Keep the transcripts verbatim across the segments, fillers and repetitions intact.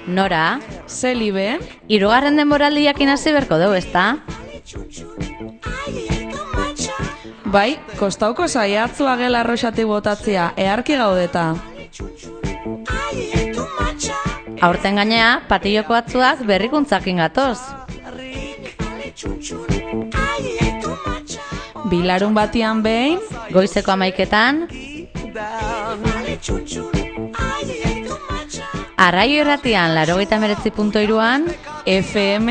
Nora, Zelibe, hirugarren denboraldiak inasi berko dugu, ezta? bai, kostauko saiatzua gela arroxati botatzea, eharki gaudeta. Aurten gainea, patilloko batzuak berrikuntzakin gatoz. Bilarun batian behin, Goizeko amaiketan, Arraio irratian, laurogeita hemeretzi puntu hiruan, F M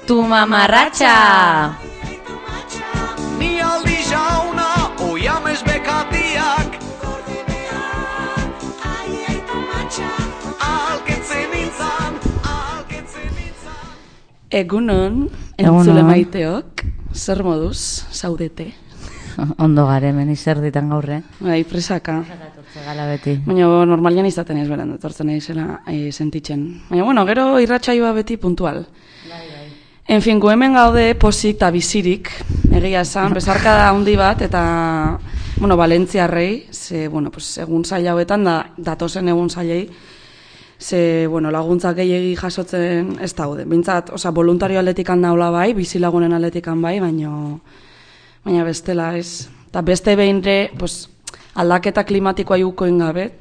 Tu mamarratxa! Ni aldi jauna, oiamez bekatiak Alketzen nintzan, alketzen nintzan egunon, Egunon. entzule maiteok, zer moduz, zaudete? Ondo gare, meni zer ditan gaurre. Bai, presaka. Gala beti. Baina normalian izaten ez beran, etortzen izela e, sentitzen. Baina, bueno, gero irratsaioa beti puntual. Bai, bai. En fin, gu hemen gaude pozik eta bizirik, egia esan, bezarkada handi bat, eta, bueno, Valentziarrei, ze, bueno, pues, egun zaila hauetan, da, datozen egun zailei, ze, bueno, laguntzak gehiegi jasotzen ez daude. Bintzat, oza, voluntario atletikan daula bai, bizilagunen atletikan bai, baina, baina bestela ez. Eta beste behinre, pues, aldaketa klimatikoa jukoen gabe,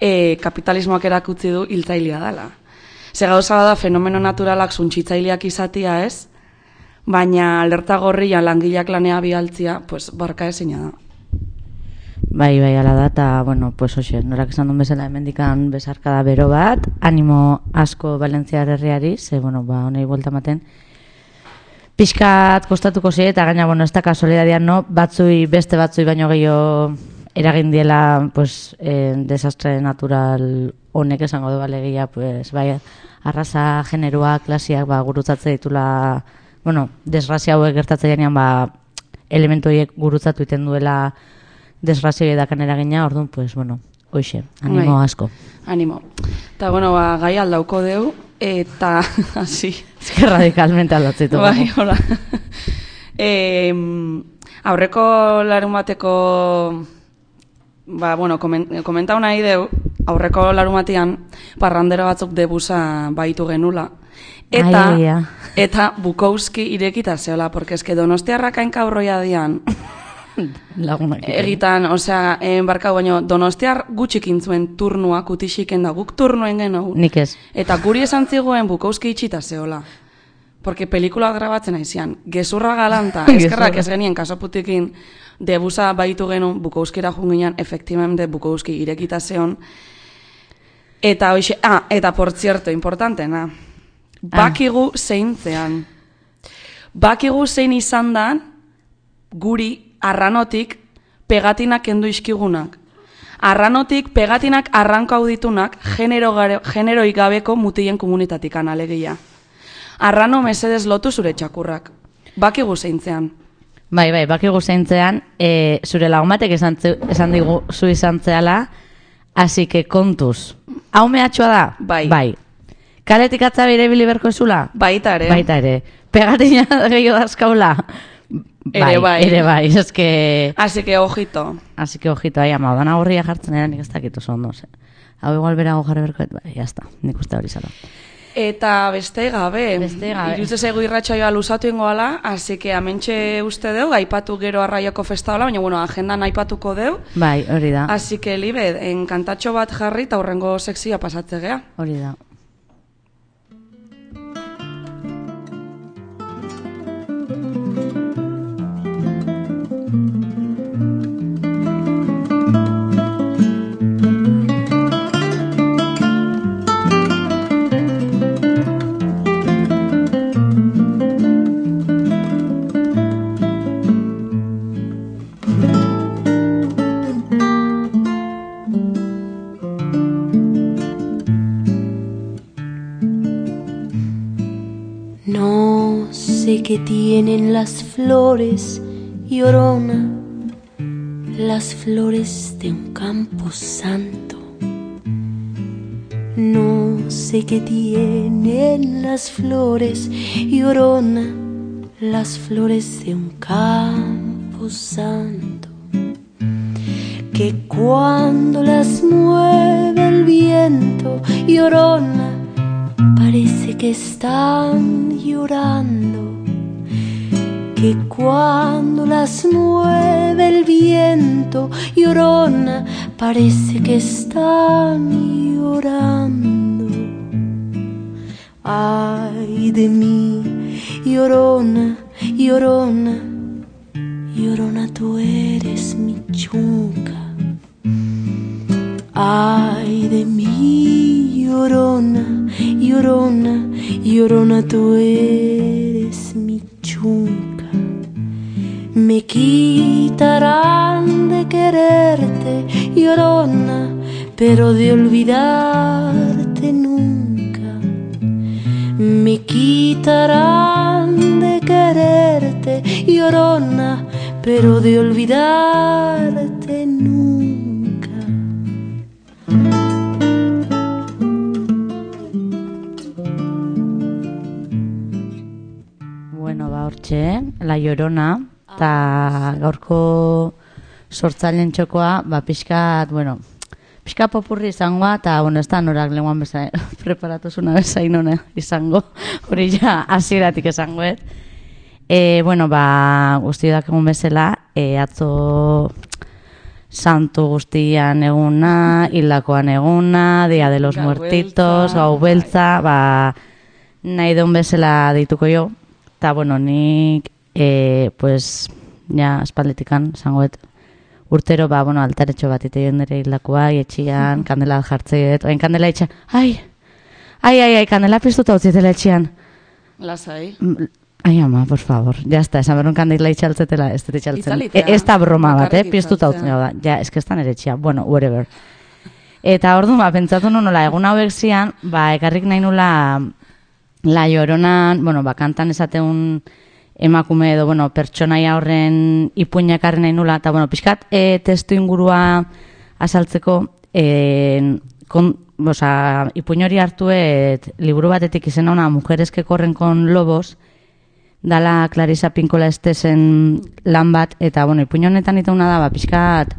e, kapitalismoak erakutzi du hiltzailea dela. Ze gauza da fenomeno naturalak suntsitzaileak izatia ez, baina alerta gorrian langileak lanea bialtzia, pues, barka ezina da. Bai, bai, ala da, eta, bueno, pues, hoxe, norak esan duen bezala hemendikan bezarkada bero bat, animo asko Valentziar herriari, ze, bueno, ba, honei buelta ematen, pixkat kostatuko zi, eta gaina, bueno, ez da kasualidadian, no, batzui, beste batzui baino gehiago eragin diela, pues, eh, desastre natural honek esango du balegia, pues, bai, arraza, generoa, klasiak, ba, gurutzatze ditula, bueno, desgrazia hauek gertatze janean, ba, elementu horiek gurutzatu iten duela desgrazia edakan eragina, orduan, pues, bueno, hoxe, animo Bai. asko. Animo. Eta, bueno, ba, gai aldauko deu, eta, hasi. Ez que radicalmente aldatzitu. Bai, hola. e, aurreko larun bateko, ba, bueno, komen, komentau nahi deu, aurreko larun batean, parrandero batzuk debusa baitu genula. Eta, Ai, ia. eta Bukowski irekita zeola, porque eske Donostiarrak hainka aurroia dian. Lagunak. Egitan, osea, enbarkau baino, Donostiar gutxik intzuen turnua, kutixiken da, guk turnuen genou. Nik ez. Eta guri esan zigoen Bukowski itxita zeola. Porque pelikula grabatzen aizian. Gezurra galanta, eskerrak ez genien kasoputikin debusa baitu genuen Bukowskira junginan, efektibamente Bukowski irekita zeon. Eta hoxe, ah, eta por cierto, importantena, bakigu zeintzean. Bakigu zein izan dan, guri arranotik pegatinak kendu iskigunak. Arranotik pegatinak arranko auditunak genero gare, generoi gabeko mutilen komunitatikan alegia. Arrano mesedez lotu zure txakurrak. Bakigu zeintzean. Bai, bai, bakigu zeintzean, e, zure lagumatek esan, tze- esan digu zu izan zehala, así que kontuz. Hau mehatxua da? Bai. Bai. Kaletik atza bere biliberko ezula? Baita ere. Baita ere. Pegatina gehiago dazkaula? Ere bai. Ere bai, ez que... Así que ojito. Así que ojito, ahi, ama, odana horria jartzen era nik ez dakit oso ondo, ze. Hau igual berago jarri berkoet, bai, jazta, nik uste hori zala. Eta beste gabe, Beste gabe. irutze zaigu irratsaioa luzatu ingoala, así que amentxe uste deu, aipatu gero arraioko festa hola, baina bueno, agendan aipatuko deu. Bai, hori da, Así que, Libe, enkantatxo bat jarri eta hurrengo sekzioa pasatze gea. hori da. No sé qué tienen las flores, Llorona, las flores de un campo santo. No sé qué tienen las flores, Llorona, las flores de un campo santo. que cuando las mueve el viento, llorona, parece que están llorando. Que cuando las mueve el viento, llorona, parece que están llorando. Ay de mí, llorona, llorona, llorona, tú eres mi chunca. Ay de mí, llorona, llorona, llorona, tú eres mi chunca. Me quitarán de quererte, llorona, pero de olvidarte nunca. Me quitarán de quererte, llorona, pero de olvidarte nunca. Bueno, ba, hortxe, La Llorona, eta gaurko sortzaileen txokoa, ba, pixkat, bueno, pixka popurri izangoa, eta, bueno, ez da norak lenguan bezain, preparatuzuna bezain hona izango, hori ja hasieratik esangoet. E, bueno, ba, guztiak egun bezala, e, atzo santu guztian eguna, hildakoan eguna, Dia de los Gau Muertitos, beltza, gau beltza, ba, nahi deun bezala deituko jo, eta, bueno, nik, e, pues, ja, espaldetikan, zangoet, urtero, ba, bueno, altaretxo bat iteien dira hildakoa, etxian, kandela jartzeet, oain kandela etxean, ai, ai, ai, ai, kandela piztuta utzitela etxean. Lasai. Ai, ama, por favor, ya está, esan berun kandela itxaltzetela, ez dut itxaltzen. Itzalitea. E, ez da broma bat, eh, Bakarrik piztuta itzaltzea. utzitela da, ja, eskeztan ere etxean, bueno, whatever. Eta orduan, ba, pentsatu nu nola, egun hauek zian, ba, ekarrik nahi nula La Lloronan, bueno, ba, kantan esateun emakume edo, bueno, pertsonaia horren ipuina ekarri nahi nula, eta, bueno, pixkat, e, testu ingurua azaltzeko, e, kon, oza, ipuin hori hartuet, liburu batetik izena ona, Mujeres que corren con lobos, dala Clarisa Pinkola Estesen lan bat, eta, bueno, ipuin honetan itauna da, ba, pixkat,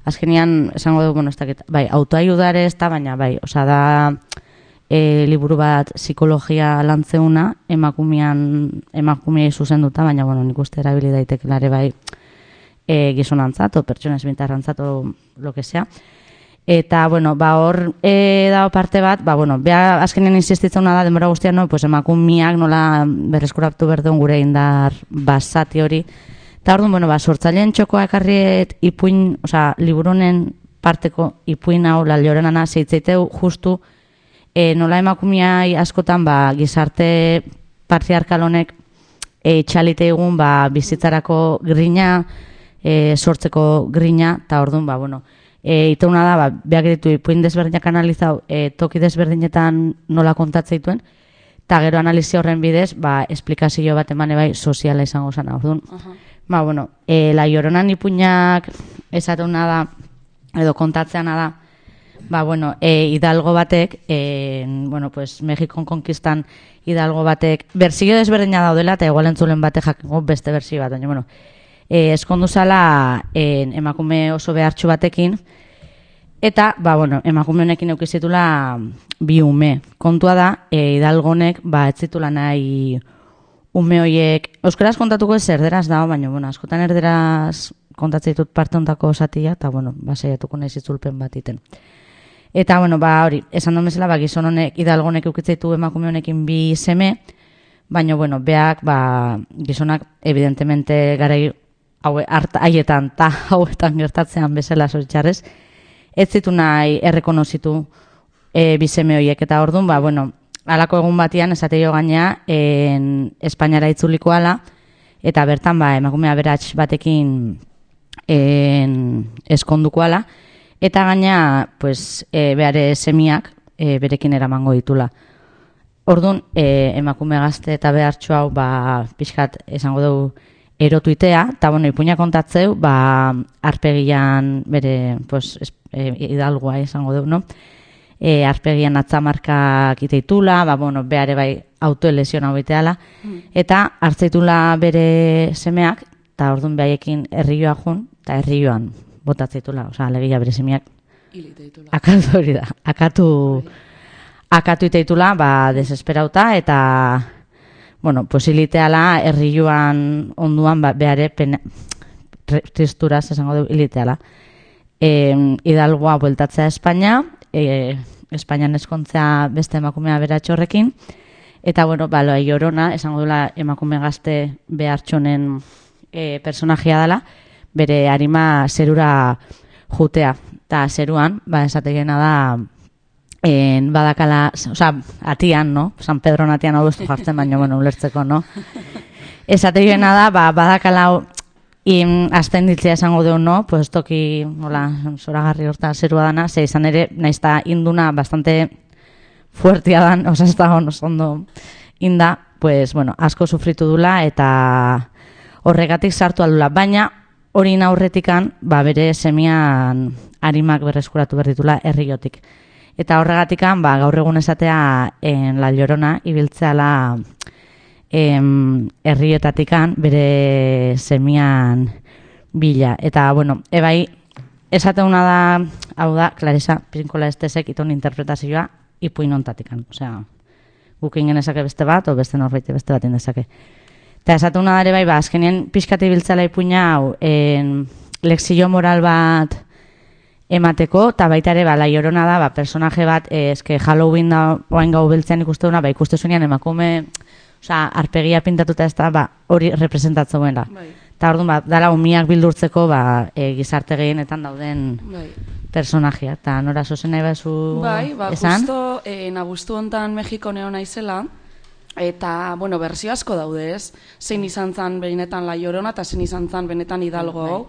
azkenian, esango dugu, bueno, ez dakit, bai, autoayudare ez da, baina, bai, oza, da, e, liburu bat psikologia lantzeuna, emakumean, emakumeei zuzenduta, baina, bueno, nik uste erabili daitekelare bai e, gizonantzat, o pertsona esbintarrantzat, o lo que sea. Eta, bueno, ba, hor e, dago parte bat, ba, bueno, beha azkenean insistitzen da, denbora guztian, no, pues, emakumeak nola berreskuratu berduen gure indar basati hori. Eta orduan, bueno, ba, sortzaileen txokoa ekarriet ipuin, oza, liburunen parteko ipuin hau, La Lloronana, zeitzeiteu justu, E, nola emakumeai askotan ba, gizarte patriarkal honek e, txalite egun ba, bizitzarako grina, e, sortzeko grina, eta orduan, ba, bueno, e, iteuna da, ba, behak ditu ipuin desberdinak analizau, e, toki desberdinetan nola kontatzeituen, eta gero analizi horren bidez, ba, esplikazio bat emane bai soziala izango zana, orduan. Aha. Ba, bueno, e, La Lloronan ipuinak esateuna da, edo kontatzeana da, ba, bueno, e, Hidalgo batek, e, bueno, pues, Mexikon konkistan Hidalgo batek, berzio desberdina daudela, eta igual entzulen batek jakingo beste berzio bat, baina, bueno, e, eskondu zala e, emakume oso behartxu batekin, eta, ba, bueno, emakume honekin eukizitula bi ume. Kontua da, e, Hidalgo honek, ba, ez zitula nahi ume hoiek, euskaraz kontatuko ez erderaz dago, baina, bueno, askotan erderaz kontatzen ditut parte ontako osatia, eta, bueno, ba, saiatuko nahi zitzulpen bat iten. Eta, bueno, ba, hori, esan duen bezala, ba, gizon honek, Hidalgo honek eukitzeitu emakume honekin bi seme, baina, bueno, beak, ba, gizonak, evidentemente, garai haue, haietan, eta hauetan gertatzean bezala zoritxarrez, ez zitu nahi errekonozitu e, bi seme horiek, eta orduan, ba, bueno, halako egun batian, esateio gainea, en Espainiara itzuliko ala, eta bertan, ba, emakumea beratx batekin en, eskonduko ala, eta gaina, pues, e, behare semiak e, berekin eramango ditula. Orduan, e, emakume gazte eta behartxo hau, ba, pixkat esango dugu erotuitea, eta, bueno, ipuina kontatzeu, ba, arpegian bere, pues, es, e, Hidalgoa esango dugu, no? E, arpegian atzamarkak iteitula, ba, bueno, behare bai autoelesion hau iteala, mm. eta hartzeitula bere semeak, eta orduan behaiekin herrioa jun, eta herrioan botatzeitula, osea, alegia bere semiak Hiliteitula. akatu hori da, akatu, akatu iteitula, ba, desesperauta, eta, bueno, posibiliteala herriuan onduan, ba, behare, pena, tristuraz esango du hiliteala. E, Hidalgoa bueltatzea Espainia, e, Espainian eskontzea beste emakumea beratxorrekin, eta, bueno, ba, loa Llorona, esango dula emakume gazte behartxonen e, personajia dela, bere arima zerura jutea. Eta zeruan, ba, esategena da, en, badakala, oza, atian, no? San Pedro atian hau bestu jartzen, baina, bueno, ulertzeko, no? Esategena da, ba, badakala, in, azten ditzea esango du, no? Pues toki, hola, zoragarri horta zerua dana, ze izan ere, naizta induna bastante fuertia dan, oza, ez da ondo inda, pues, bueno, asko sufritu dula, eta horregatik sartu aldula, baina, hori aurretikan, ba, bere semian arimak berreskuratu berditula herriotik. Eta horregatikan, ba, gaur egun esatea en La Llorona ibiltzeala em, herriotatikan bere semian bila. Eta, bueno, ebai, esateuna da, hau da, Clarisa Pinkola Estesek iton interpretazioa ipuin ontatikan. Osea, guk ingen esake beste bat, o beste norbaite beste bat indezake. Eta esatuna da ere bai, ba, azkenien pixkati biltzela ipuina hau, en, lexio moral bat emateko, eta baita ere, ba, La Llorona da, ba, personaje bat, eh, eske Halloween da, oain gau biltzean ikuste duna, ba, ikuste zuenean emakume, osea, arpegia pintatuta ez da, ba, hori representatzen duela. Bai. Eta orduan, ba, dala umiak bildurtzeko, ba, e, gizarte gehienetan dauden Bai. personajea. Eta nora zozen nahi bezu Bai, ba, esan? justo, eh, nagustu hontan Mexiko neo naizela, eta, bueno, berzio asko daude, ez? Zein izan zan benetan La Llorona, eta zein izan zan benetan Hidalgo hau.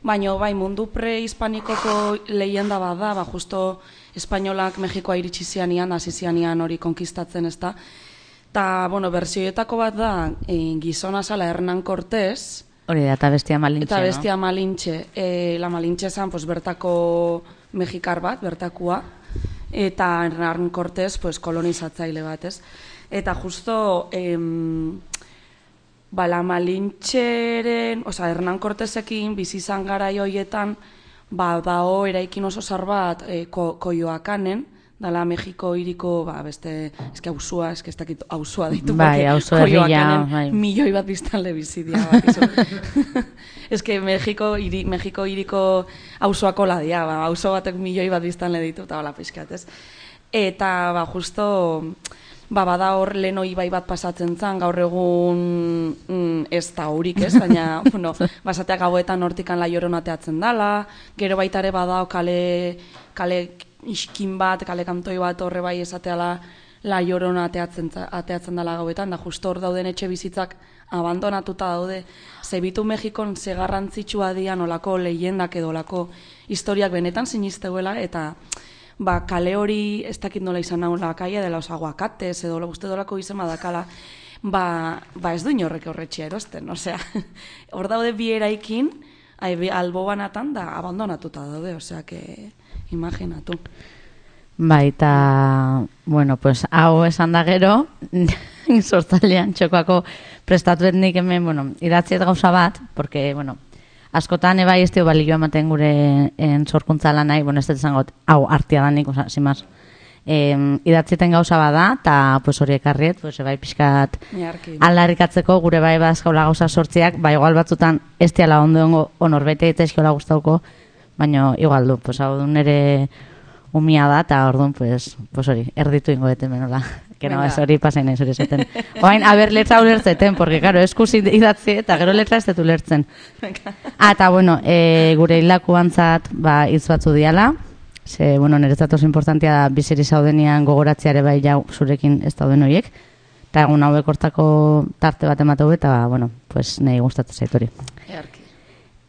Baina, bai, mundu pre-hispanikoko leyenda bat da, ba, justo espainolak Mexikoa iritsi zianian, hasi zianian hori konkistatzen, ez da. Eta, bueno, berzioetako bat da, e, gizona zala Hernán Cortés, Hori da, eta bestia malintxe, eta bestia Malintxe. E, la Malintxe zan, pues, bertako mexikar bat, bertakua, eta Hernán Cortés, pues, kolonizatzaile bat, ez? Eta justo, em, ba, la Malintxeren, oza, Hernán Cortésekin bizi izan garai hoietan, ba, dao eraikin oso zar bat e, ko, Koyoakanen, dala Mexiko hiriko, ba, beste, eske hausua, eske ez dakit hausua ditu, Bai, auzo herria, bai. milioi bat biztanle bizi dira, bat, eske Mexiko hiri, Mexiko hiriko auzoako ladia, ba, auzo batek milioi bat biztanle ditu, eta bala pixkat, ez? Eta, ba, justo, ba, bada hor leno ibai bat pasatzen zan, gaur egun mm, ez da horik, ez? Baina, bueno, basateak gauetan hortikan La Llorona ateatzen dala, gero baita ere badao kale, kale iskin bat, kale kantoi bat horre bai esateala La Llorona ateatzen, ateatzen dala gauetan, da justo hor dauden etxe bizitzak abandonatuta daude. Zebitu Mexikon ze garrantzitsua dian olako leyendak edo olako historiak benetan sinisteuela, eta ba, kale hori ez dakit nola izan naula kaia dela os aguacates edo uste dolako izen badakala, ba, ba ez du inorrek horretxea erosten, osea, hor daude bi eraikin, albo banatan da abandonatuta daude, osea, que imaginatu. Bai, eta, bueno, pues, hau esan da gero, sortzailean txokoako prestatu etnik hemen, bueno, idatziet gauza bat, porque, bueno, askotan ebai ez dio balio ematen gure en sorkuntza lanai, bueno, ez dut zangot, hau artia danik, oza, simaz, eh, idatzieten gauza bada, eta pues, hori ekarriet, pues, ebai pixkat aldarrikatzeko gure bai badazkaula gauza sortziak, ba, igual batzutan ez diala ondo ongo onorbete eta eskiola guztauko, baina igual du, pues, hau du nere umia da, eta orduan, pues, pues hori, erditu ingo deten benola. Que no, ez hori pasain ez hori zeten. Oain, haber letra ulertzeten, porque, claro, eskus idatzi eta gero letra ez dut ulertzen. Ah, eta, bueno, e, gure hilaku antzat, ba, hitz batzu diala. Ze, bueno, niretzat oso importantia da biziri zaudenian gogoratziare bai jau zurekin ez dauden horiek. Eta egun hauek hortako tarte bat emateu eta, bueno, pues, nahi gustatzen zait hori. Earki.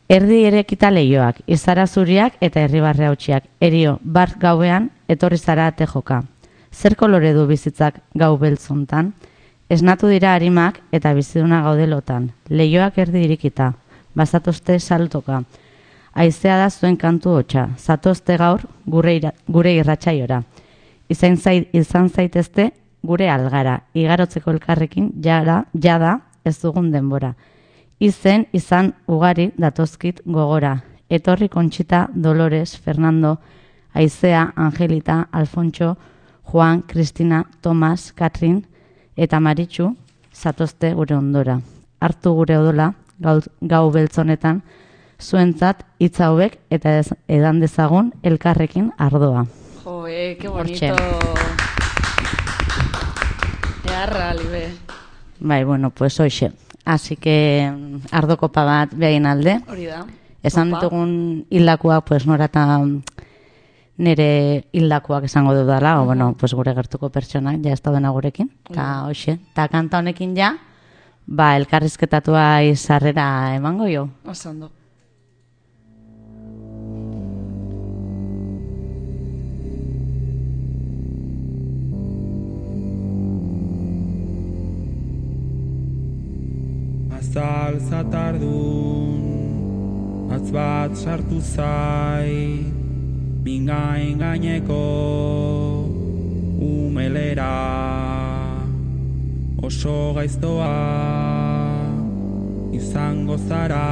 Erdi erekita leioak, izara zuriak eta herribarre hautsiak. Erio, bart gauean, etorri zara ate joka. Zer kolore du bizitzak gau beltzuntan? Esnatu dira harimak eta biziduna gaudelotan. Leioak erdi irikita, bazatozte saltoka. Aizea da zuen kantu hotxa, zatozte gaur gure, ira, gure irratsaiora. Izan, zait, izan zaitezte gure algara, igarotzeko elkarrekin jara, jada ez dugun denbora. Izen izan ugari datozkit gogora, Etorri, Conchita, Dolores, Fernando, Aizea, Angelita, Alfonso, Juan, Cristina, Tomas, Katrin eta Maritxu zatozte gure ondora. Hartu gure odola, gau, gau beltzonetan, zuentzat hitz hauek eta ez, edan dezagun elkarrekin ardoa. Joe, que bonito. Earra, libe. Bai, bueno, pues hoxe. Así que ardo kopa bat behain alde. Hori da. Esan ditugun hildakoak, pues norata nire hildakoak esango dudala, o bueno, pues gure gertuko pertsonak ja ez daudena gurekin. Eta hoxe, eta kanta honekin ja, ba, elkarrizketatua izarrera emango jo. Oso ondo. Azal zatardun, atz bat sartu zai, mingain gaineko umelera. Oso gaiztoa izango zara,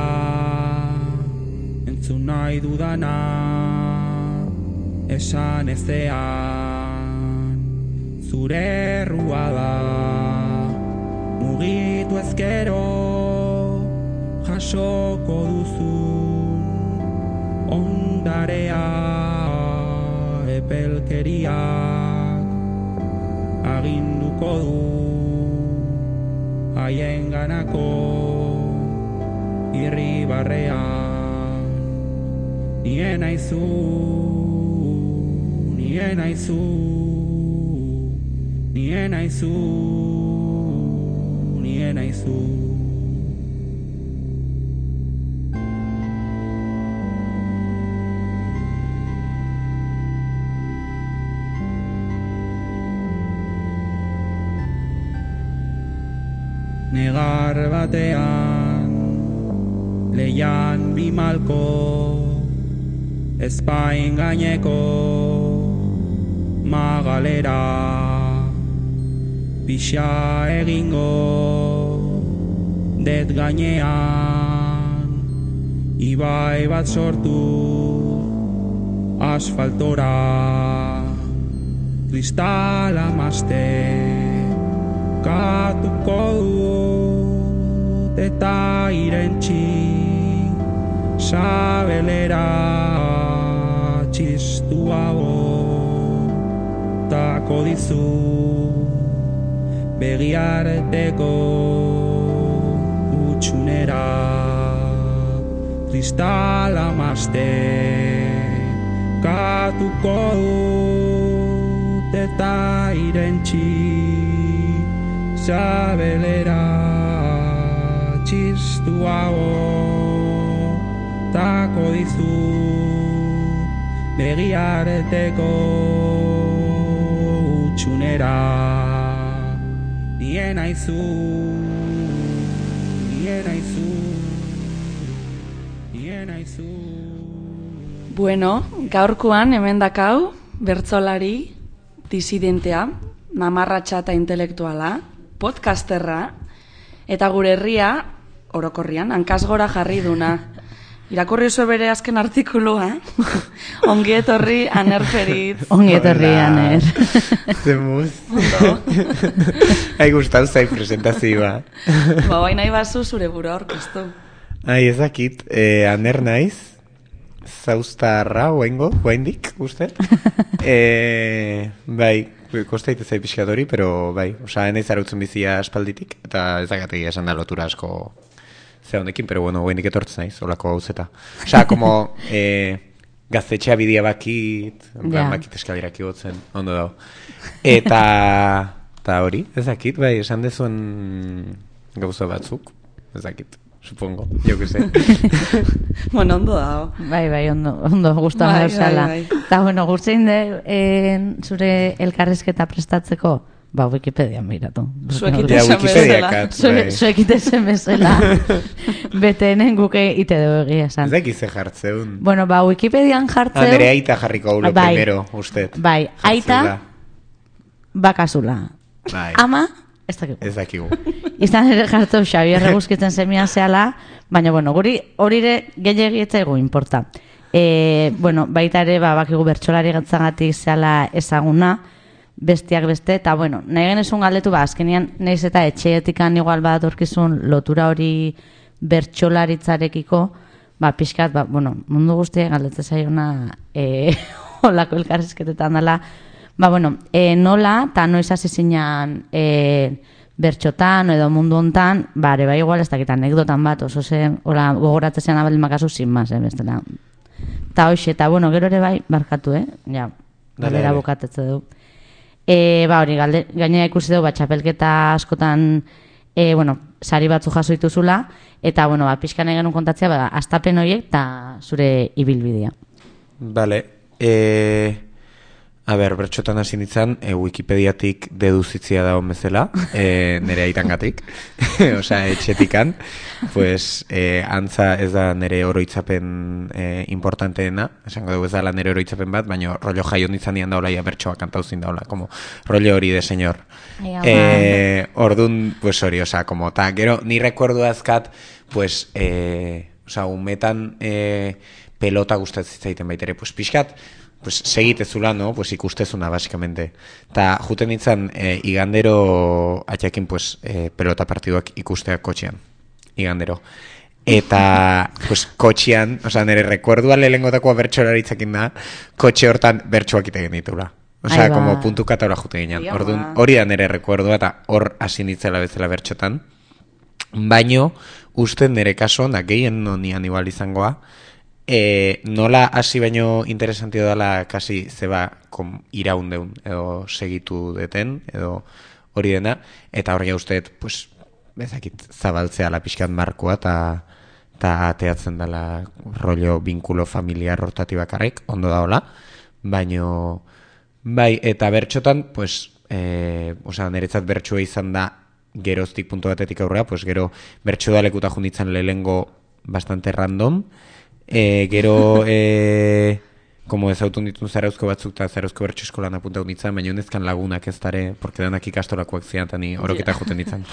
entzun nahi dudana esan ezean. Zure errua da, mugitu ezkero, jasoko duzun ondarea, epelkeriak aginduko du haien ganako irribarrean. Nien aizu, nien aizu, nien aizu, nien aizu. Negar batean, leian bimalko, ezpain gaineko magalera. Pixa egingo, det gainean, ibai bat sortu, asfaltora. Kristala mazte, katuko dut eta irentxi, sabelera txistuago tako dizu, begiarteko utxunera. Kristala mazte, katuko dut eta irentxi, sabelera txistuago tako dizu, begiarteko utxunera. Nien aizu, nien aizu, nien aizu. Bueno, gaurkoan hemen dakau, bertsolari, disidentea, mamarratxa eta intelektuala, podcasterra, eta gure herria, orokorrian, hankasgora jarri duna. Irakurri oso bere azken artikulua, ongi etorri Aner Feritz. Ongi etorri Aner. Zemuz. Hai gustau zai presentazioa. Ba, bai nahi bazu zure burua orkestu. Ai, ezakit, eh, Aner naiz, zauztarra, oengo, oendik, uste. eh, bai, kostaite zai pixkadori, pero bai, osa, enaiz arautzen bizia aspalditik, eta ezagatik esan da lotura asko ze honekin, pero bueno, oendik etortzen naiz, olako gauzeta. Osa, como eh, gaztetxea bidea bakit, yeah. bakit eskalirak igotzen, ondo dago. Eta, eta hori, ezakit, bai, esan dezuen gauza batzuk, ezakit. Supongo, yo que sé. Bueno, ondo dago. Bai, bai, ondo, ondo, guztan bai, gauzala. Bai, bai. Eta, bueno, guztein de, eh, zure elkarrizketa prestatzeko, ba, Wikipedian miratu. Zuekitezen bezala. Zuekitezen bezala. Betenen guke ite dugu egia esan. Ez da ekize jartzeun. Bueno, ba, Wikipedian jartzeun. Andere aita jarriko haulo bai, primero, usted. Bai, aita bakazula. Bai. Ama, ez dakigu. Ez dakigu. Izan ere jartu Xabier Eguzkitzen zemian zehala, Baina, bueno, guri horire gehiagietza inporta. E, bueno, baita ere, ba, bakigu bertsolari gatzagatik zehala ezaguna, bestiak beste, eta, bueno, nahi genezun galdetu, ba, azkenian, nahiz eta etxeetikan igual badatorkizun lotura hori bertsolaritzarekiko, ba, pixkat, ba, bueno, mundu guztiak galdetze zaiona e, olako elkarrizketetan dela, ba, bueno, e, nola, eta noiz hasi zinean e, bertxotan edo mundu hontan, ba, ere, ba, igual, ez dakit anekdotan bat, oso zen, hola, gogoratzean abel makazu, sin más, eh, bestela. Eta hoxe, eta, bueno, gero ere bai, barkatu, eh? Ja, galera bukatetze du. E, ba, hori, galde, gainera ikusi dugu, ba, txapelketa askotan, e, bueno, sari batzu jaso dituzula, eta, bueno, ba, pixkan egin kontatzea, ba, astapen horiek eta zure ibilbidea. Vale, e... A ber, bertxotan hasi nintzen, e, Wikipediatik deduzitzia da hon bezala, e, nire aitangatik, osea, etxetikan, pues, e, antza ez da nire oroitzapen e, importanteena, esango dugu ez da nire oroitzapen bat, baina rollo jaio nintzen nian daula, ia bertxoa kantauzin daula, como rollo hori de señor. E, ordun, pues hori, osea, como, ta, gero, ni recuerdo azkat, pues, e, osea, umetan e, pelota gustatzen zaiten baitere, pues, pixkat, pues segitezula, no? Pues ikustezuna, básicamente. Ta juten nintzen, eh, igandero atxakin, pues, eh, pelota partiduak ikusteak kotxean. Igandero. Eta, pues, kotxean, oza, nire rekuerdua lehengotakoa bertxolaritzakin da, kotxe hortan bertxoak ite genitula. Oza, como puntu kataura juten ginen. Orduan, hori da nire rekuerdua, eta hor hasi nitzela bezala bertxotan. Baino, uste nire kaso, da gehien nonian igual izangoa, E, nola hasi baino interesantio dela kasi zeba kom, iraundeun edo segitu deten edo hori dena, eta hori usteet pues, bezakit zabaltzea la pixkat markoa eta ta ateatzen dela rollo binkulo familiar hortati bakarrik, ondo da hola, baino bai, eta bertxotan pues, e, osea, niretzat bertxoa izan da geroztik puntu batetik aurrea, pues gero bertxo da lekuta junditzen lehengo bastante random. E, gero, e, como ezautun ditun zarauzko batzuk eta zarauzko bertxo eskolan apuntau nintzen, baina honezkan lagunak ez dare, porque danak ikastolakoak zian, eta ni horoketa juten nintzen.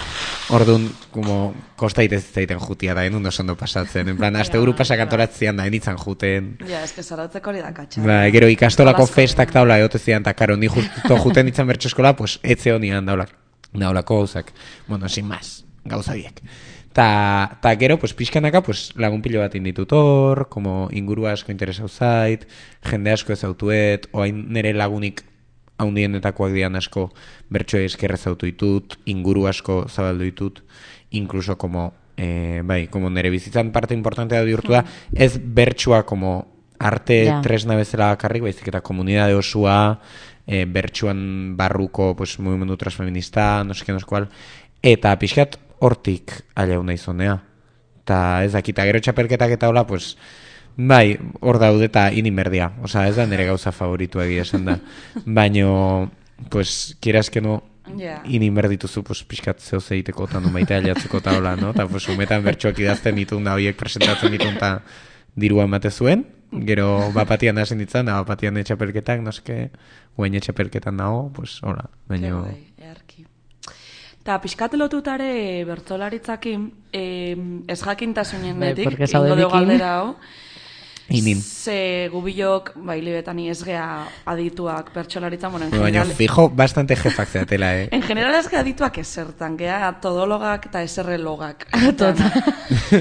Orduan, como, kosta itez zaiten jutia da, enun oso ondo pasatzen. En plan, azte uru pasak antolatzean da, enitzen juten. Ja, ez que zarautzeko hori da katxa. Ba, gero ikastolako festak daula egote zian, eta karo, ni justo juten nintzen bertxo eskola, pues, etze honian daulak, daulako gauzak. Bueno, sin más, gauza biek. Ta, ta gero, pues, pixkanaka, pues, lagun pilo bat inditut hor, como inguru asko interesau zait, jende asko ezautuet, oain nire lagunik haundienetakoak dian asko bertsoe eskerre zautu ditut, inguru asko zabaldu ditut, incluso como, eh, bai, como nire bizitzan parte importantea bihurtu da, ez bertsoa como arte yeah. tresna bezala bakarrik, baizik eta komunidade osua, eh, bertsuan barruko, pues, mugimendu transfeminista, no seke, no sekual, eta pixkat, hortik aliau nahi zonea. Ta ez dakita gero txapelketak eta hola, pues, bai, hor daude eta inimerdia. Osa, ez da nire gauza favoritu egia esan da. Baino, pues, kieras que no, yeah. inimerdituzu, pues, pixkat zeo zeiteko eta numaita aliatzeko eta hola, no? Ta, pues, umetan bertxoak idazten ditun da, horiek presentatzen ditun eta dirua emate zuen. Gero, bapatian hasen ditzan, da, bapatian etxapelketak, noske, guen etxapelketan dago, pues, hola, baino... Eta pixkat lotutare bertzolaritzakin, eh, ez jakintasunen netik, Bai, ingo dugu galdera hau. Inin. Ze gubilok, bai, libetani ez gea adituak bertsolaritzan, bueno, en general... Baina, fijo, bastante jefak zeatela, eh? En general ez gea adituak esertan, gea todologak eta eserrelogak.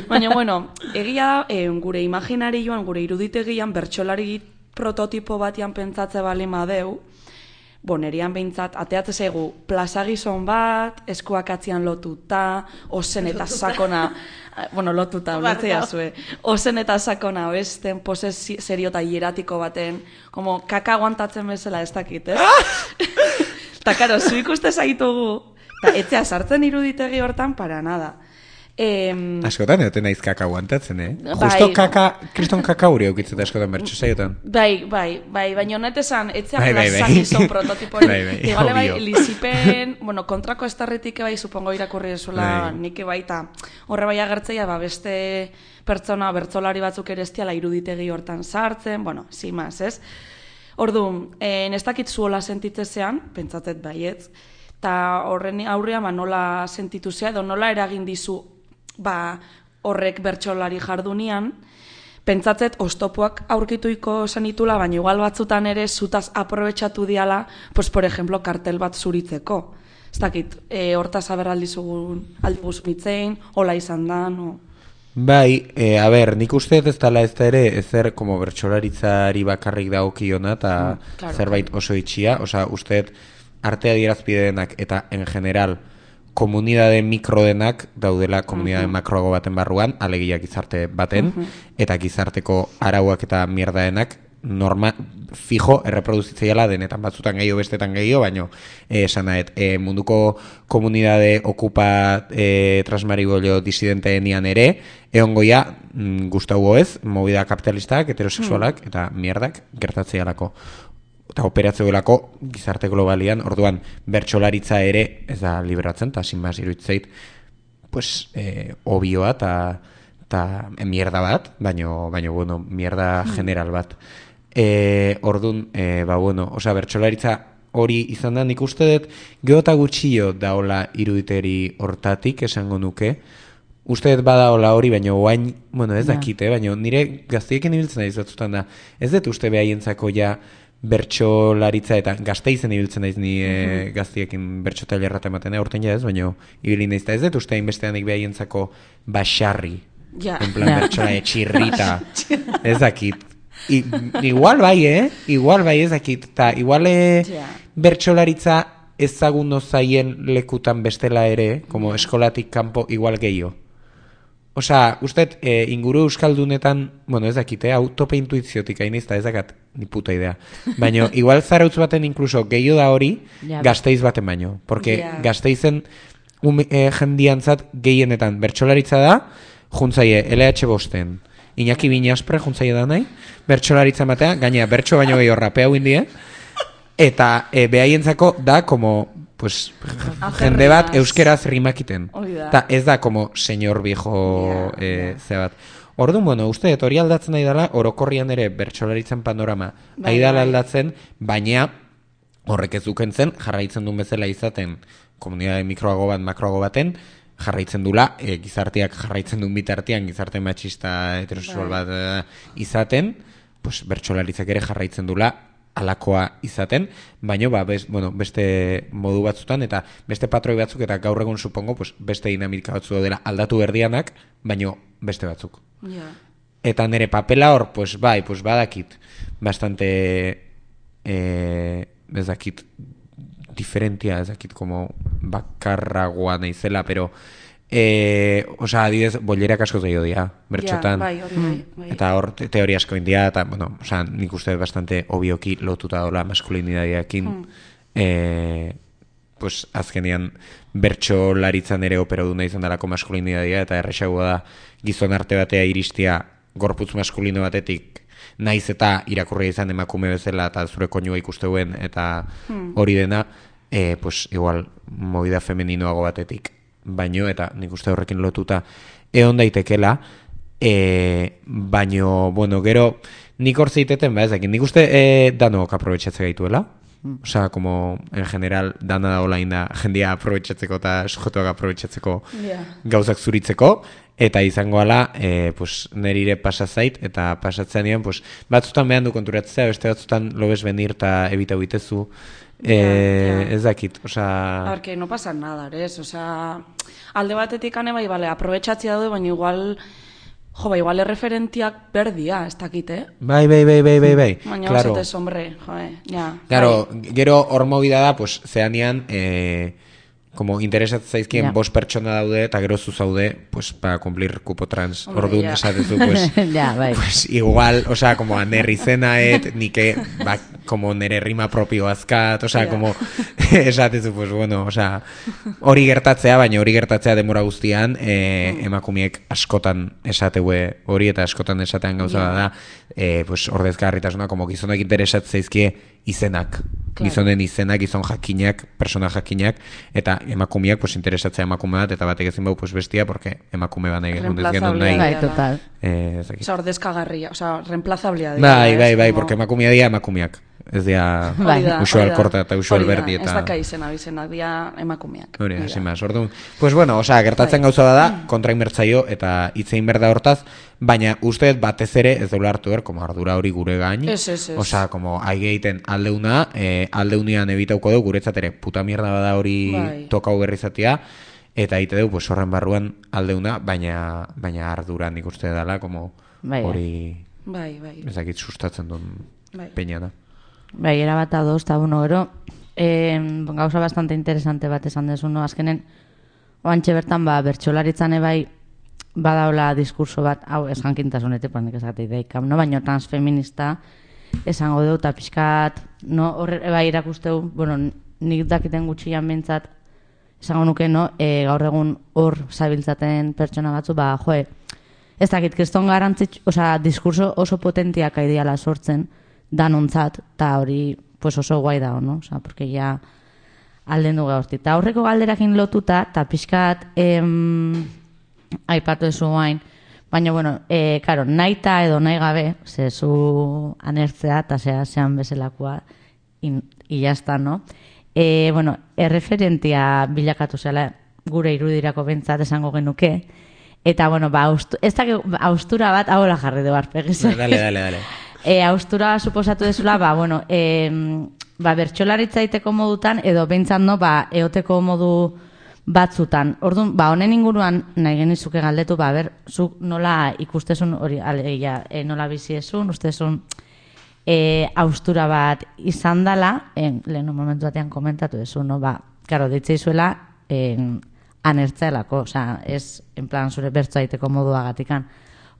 Baina, bueno, egia da, eh, gure imaginarioan, gure iruditegian, bertsolari prototipo batian pentsatze bali madeu, bonerian behintzat, ateatze zaigu plazagizon bat, eskuak atzian lotuta, ozen eta sakona, bueno, lotuta, betzea zue, ozen eta sakona besten, pose serio eta hieratiko baten, como kaka aguantatzen bezala ez dakit, ez? Eta, karo, zu ikuste zaitugu, eta etzea sartzen iruditegi hortan, para nada. Eh, askotan egoten naiz kaka aguantatzen, eh? Bai, justo kaka, kriston kaka huri eukitzeta askotan bertxo zaiotan. Bai, bai, bai, baina honet esan, etzea bai, plazakizon bai, prototipori. Bai, bai, Igale bai, lizipen, bueno, kontrako estarritik bai, supongo irakurri esuela bai. Nik bai, eta horre bai agertzeia, ba, beste pertsona, bertzolari batzuk ere estiala iruditegi hortan sartzen, bueno, zimaz, ez? Orduan, eh, ez dakit zuola sentitzezean, pentsatzet baietz, eta horren aurrea, ba, nola sentitu zea, edo nola eragin dizu, ba, horrek bertsolari jardunian, pentsatzet oztopoak aurkituiko zenitula, baina igual batzutan ere zutaz aprobetxatu diala, pues, por ejemplo, kartel bat zuritzeko. Ez dakit, e, hortaz aberraldizugun aldibuz mitzein, hola izan da, no? Bai, e, a ber, nik uste ez dela ez da ere ezer como bertsolaritzari bakarrik dagokiona eta Mm, claro, zerbait oso itxia, osea, uste arte adierazpidenak eta en general komunidade mikrodenak daudela komunidade Mhm. makroago baten barruan, alegia gizarte baten, Mhm. eta gizarteko arauak eta mierdaenak norma, fijo, erreproduzitzeiala denetan, batzutan gehiago, bestetan gehiago, baino, eh, esan nahet, eh, munduko komunidade okupa eh, transmaribolio disidenteenean ere, egongoia, mm, gustaugo ez, movida kapitalistak, heterosexualak, eta mierdak gertatzeialako. Eta operatzeolako gizarte globalian, orduan, bertsolaritza ere, ez da liberatzen, eta sin más iruditzeit, pues, eh, obioa, eta eta mierda bat, baino, baino, bueno, mierda general bat. E, ordun, e, ba, bueno, osea, bertsolaritza hori izan da, nik uste dut, geota gutxio daola iruditeri hortatik, esango nuke, uste dut badaola hori, baina oain, bueno, ez dakite, baina nire gaztiekin ibiltzen naiz batzutan da, ez dut uste behaientzako ja bertsolaritza eta Gasteizen ibiltzen naiz ni e, gaztiekin bertso tailerra ematen, aurten ja ez, baina ibili naiz, eta ez dut uste hainbesteanik behaientzako basarri, Ja. en plan bertsola etxirrita, ez dakit. I, igual bai, eh? Igual bai ez dakit. Ta igual eh, Ja. bertsolaritza ezagun zaien lekutan bestela ere, como eskolatik kanpo igual gehiago. Osea, usted eh, inguru euskaldunetan, bueno, ez dakit, eh? Autope intuiziotik hain izta, ez dakat ni puta idea. Baina igual Zarautz baten incluso gehiago da hori, Ja. Gasteiz baten baino. Porque Ja. Gasteizen um, eh, jendiantzat gehienetan bertsolaritza da, juntzaie L H bosten. Iñaki Binaspre juntzaile da nahi, bertsolaritza matea, gaina bertso baino gehiago rapea indie, eta e, behaientzako da, como, pues, jende bat euskeraz rimakiten. Hori da. Ta ez da, como, señor viejo, Ja, e, ze bat. Orduan, bueno, uste, hori aldatzen nahi dela, orokorrian ere bertsolaritzen panorama, Bai, nahi dela bai. aldatzen, baina horrek ez dukentzen, jarraitzen duen bezala izaten, komunidade mikroago bat, makroago baten, jarraitzen dula, e, gizarteak jarraitzen duen bitartean, gizarte matxista heterosexual bat e, izaten, pues, bertsolaritzak ere jarraitzen dula alakoa izaten, baina ba, bez, bueno, beste modu batzutan eta beste patroi batzuk eta gaur egun supongo pues, beste dinamika batzu daudela aldatu berdianak, baina beste batzuk. Ja. Eta nire papela hor, pues bai, pues badakit bastante eh, ez dakit diferentia, ez dakit como bakarragoa naizela, pero eh, osea, adidez, bollerak asko zaio dira, bertxotan. Ja, bai, hori bai, bai. Eta hor te- teoria asko india, eta, bueno, osea, nik uste dut bastante obioki lotuta dola maskulinitateakin, Hmm. eh, pues, azkenean bertsolaritzan ere operaduna izan dalako maskulinitatea, eta erresagoa da gizon arte batea iristia gorputz maskulino batetik, naiz eta irakurria izan emakume bezala eta zure koinua ikusteuen eta hori dena, eh, pues, igual, movida femeninoago batetik baino, eta nik uste horrekin lotuta egon daitekela, e, baino, bueno, gero nik hor zeiteten, ba, ez dakit, nik uste e, danok aprobetxatze gaituela, osea, como, en general, dana da hola inda jendia aprobetxatzeko eta sujetuak aprobetxatzeko Ja. gauzak zuritzeko, eta izango ala, e, pues, nerire pasazait, eta pasatzean ean, pues, batzutan behan du konturatzea, beste batzutan lobes benir eta ebita bitezu, e, Ja, ja. ez dakit, osea... A ver, que no pasa nada, ¿res? O sea, alde batetik ane bai, bale, aprobetxatzea daude, baina igual, jo, ba, igual erreferentiak berdia, ez dakit, eh? Bai, bai, bai, bai, bai, bai, Baina claro. claro. hombre, joe, ja. Claro, bai. gero hor movida da, pues, zeanean, eh, como interesatzen zaizkien Ja. bost pertsona daude, eta gero zu zaude, pues, para cumplir cupo trans. Hombre, Orduan ja. esatezu, pues, Ja, bai. pues, igual, o sea, como anerri zenaet, nike, ba, como nere rima propio azkat, o sea, Ja. como, esatezu, pues, bueno, o sea, hori gertatzea, baina hori gertatzea demora guztian, eh, emakumeek askotan esateue hori, eta askotan esatean gauza Ja. da, eh, pues, ordezkarritasuna, como gizonak interesat zaizkie izenak, Claro. gizonen izenak, gizon jakinak, persona jakinak, eta emakumeak, pues, interesatzea emakume bat, eta batek ezin bau, pues, bestia, porque emakume bat nahi genuen ez genuen nahi. Reemplazablea Bai, dela. total. Eh, ez dakit. Osa, ordezkagarria, osa, reemplazablea dira. Bai, ez, bai, bai, como- porque emakumea dira emakumeak. ez dira Bai. usual korta eta usual berdi Ez eta... daka izena, izenak dira emakumeak. Hori, Hori da. hasi maz, orduan. Pues bueno, osea, gertatzen gauza bada, kontrainbertzaio eta hitzein berda hortaz, baina uste dut batez ere ez deula hartu er, como ardura hori gure gain. Ez, ez, ez. Osea, como aige egiten aldeuna, eh, aldeunian ebitauko dugu, guretzat ere, puta mierda bada hori Bai. tokau berrizatia, eta egite dugu, pues horren barruan aldeuna, baina, baina ardura nik uste dela, como Bai. hori, Bai, bai. ez dakit sustatzen duen Bai. peina da. Bai, erabat adoz, eta bueno, gero, eh, gauza bastante interesante bat esan dezu, no? Azkenen, oantxe bertan, ba, bertsolaritzan ebai, badaola diskurso bat, hau, ez jankintasunetik, panik esatei daikam, no? Baina transfeminista, esango dut, eta pixkat, no? Horre, ebai irakusteu, bueno, nik dakiten gutxian bintzat, esango nuke, no? E, gaur egun hor zabiltzaten pertsona batzu, ba, joe, ez dakit, kriston garantzitsu, osea, diskurso oso potentiak aidiala sortzen, danontzat, eta hori pues oso guai da, no? Osea, porque ya alden du gaurti. Eta aurreko galderakin lotuta, eta pixkat em, aipatu ezu guain, baina, bueno, e, karo, nahi ta edo nahi gabe, ze zu anertzea, eta zea zean bezalakoa, in, y ya está, no? E, bueno, erreferentia bilakatu zela gure irudirako bentsat esango genuke, eta, bueno, ba, austu, ez da, austura bat, hau la jarri du arpegiz. Dale, dale, dale. E, austura suposatu dezula, ba, bueno, e, ba, bertxolaritza iteko modutan, edo behintzat no, ba, eoteko modu batzutan. Orduan, ba, honen inguruan nahi genizuke galdetu, ba, ber, zuk nola ikustezun, hori, alegia, e, nola biziezun, ustezun, e, austura bat izan dala, e, lehenu momentu batean komentatu dezu, no, ba, karo, ditzeizuela, e, anertzaelako, osea, ez, en plan, zure bertzoa iteko moduagatikan.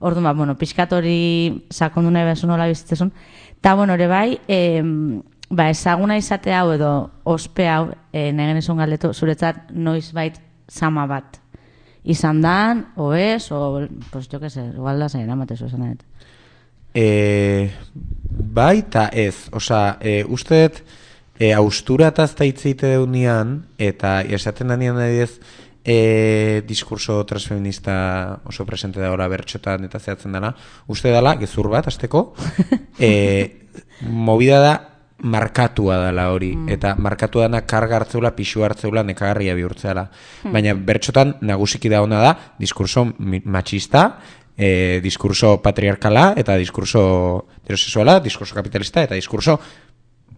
Orduan, ba, bueno, pixkat hori sakondu nahi bezu nola bizitzezun. Eta, bueno, ere bai, e, ba, ezaguna izate hau edo ospe hau, e, nahi genizun galdetu, zuretzat noiz bait zama bat izan dan, o ez, o, pues, jo que se, igual da zain, amatezu esan nahi. E, bai eta ez, osea, e, usteet, e, austura eta azta hitzeite deunian, eta esaten danian adidez, E, diskurso transfeminista oso presente da ora bertxotan eta zehatzen dela, uste dela, gezur bat, azteko, e, movida da markatua dela hori, mm. eta markatua dana karga hartzeula, pixu hartzeula, nekagarria bihurtzeala. Mm. Baina bertxotan nagusiki da ona da, diskurso machista, e, diskurso patriarkala, eta diskurso heterosexuala, diskurso kapitalista, eta diskurso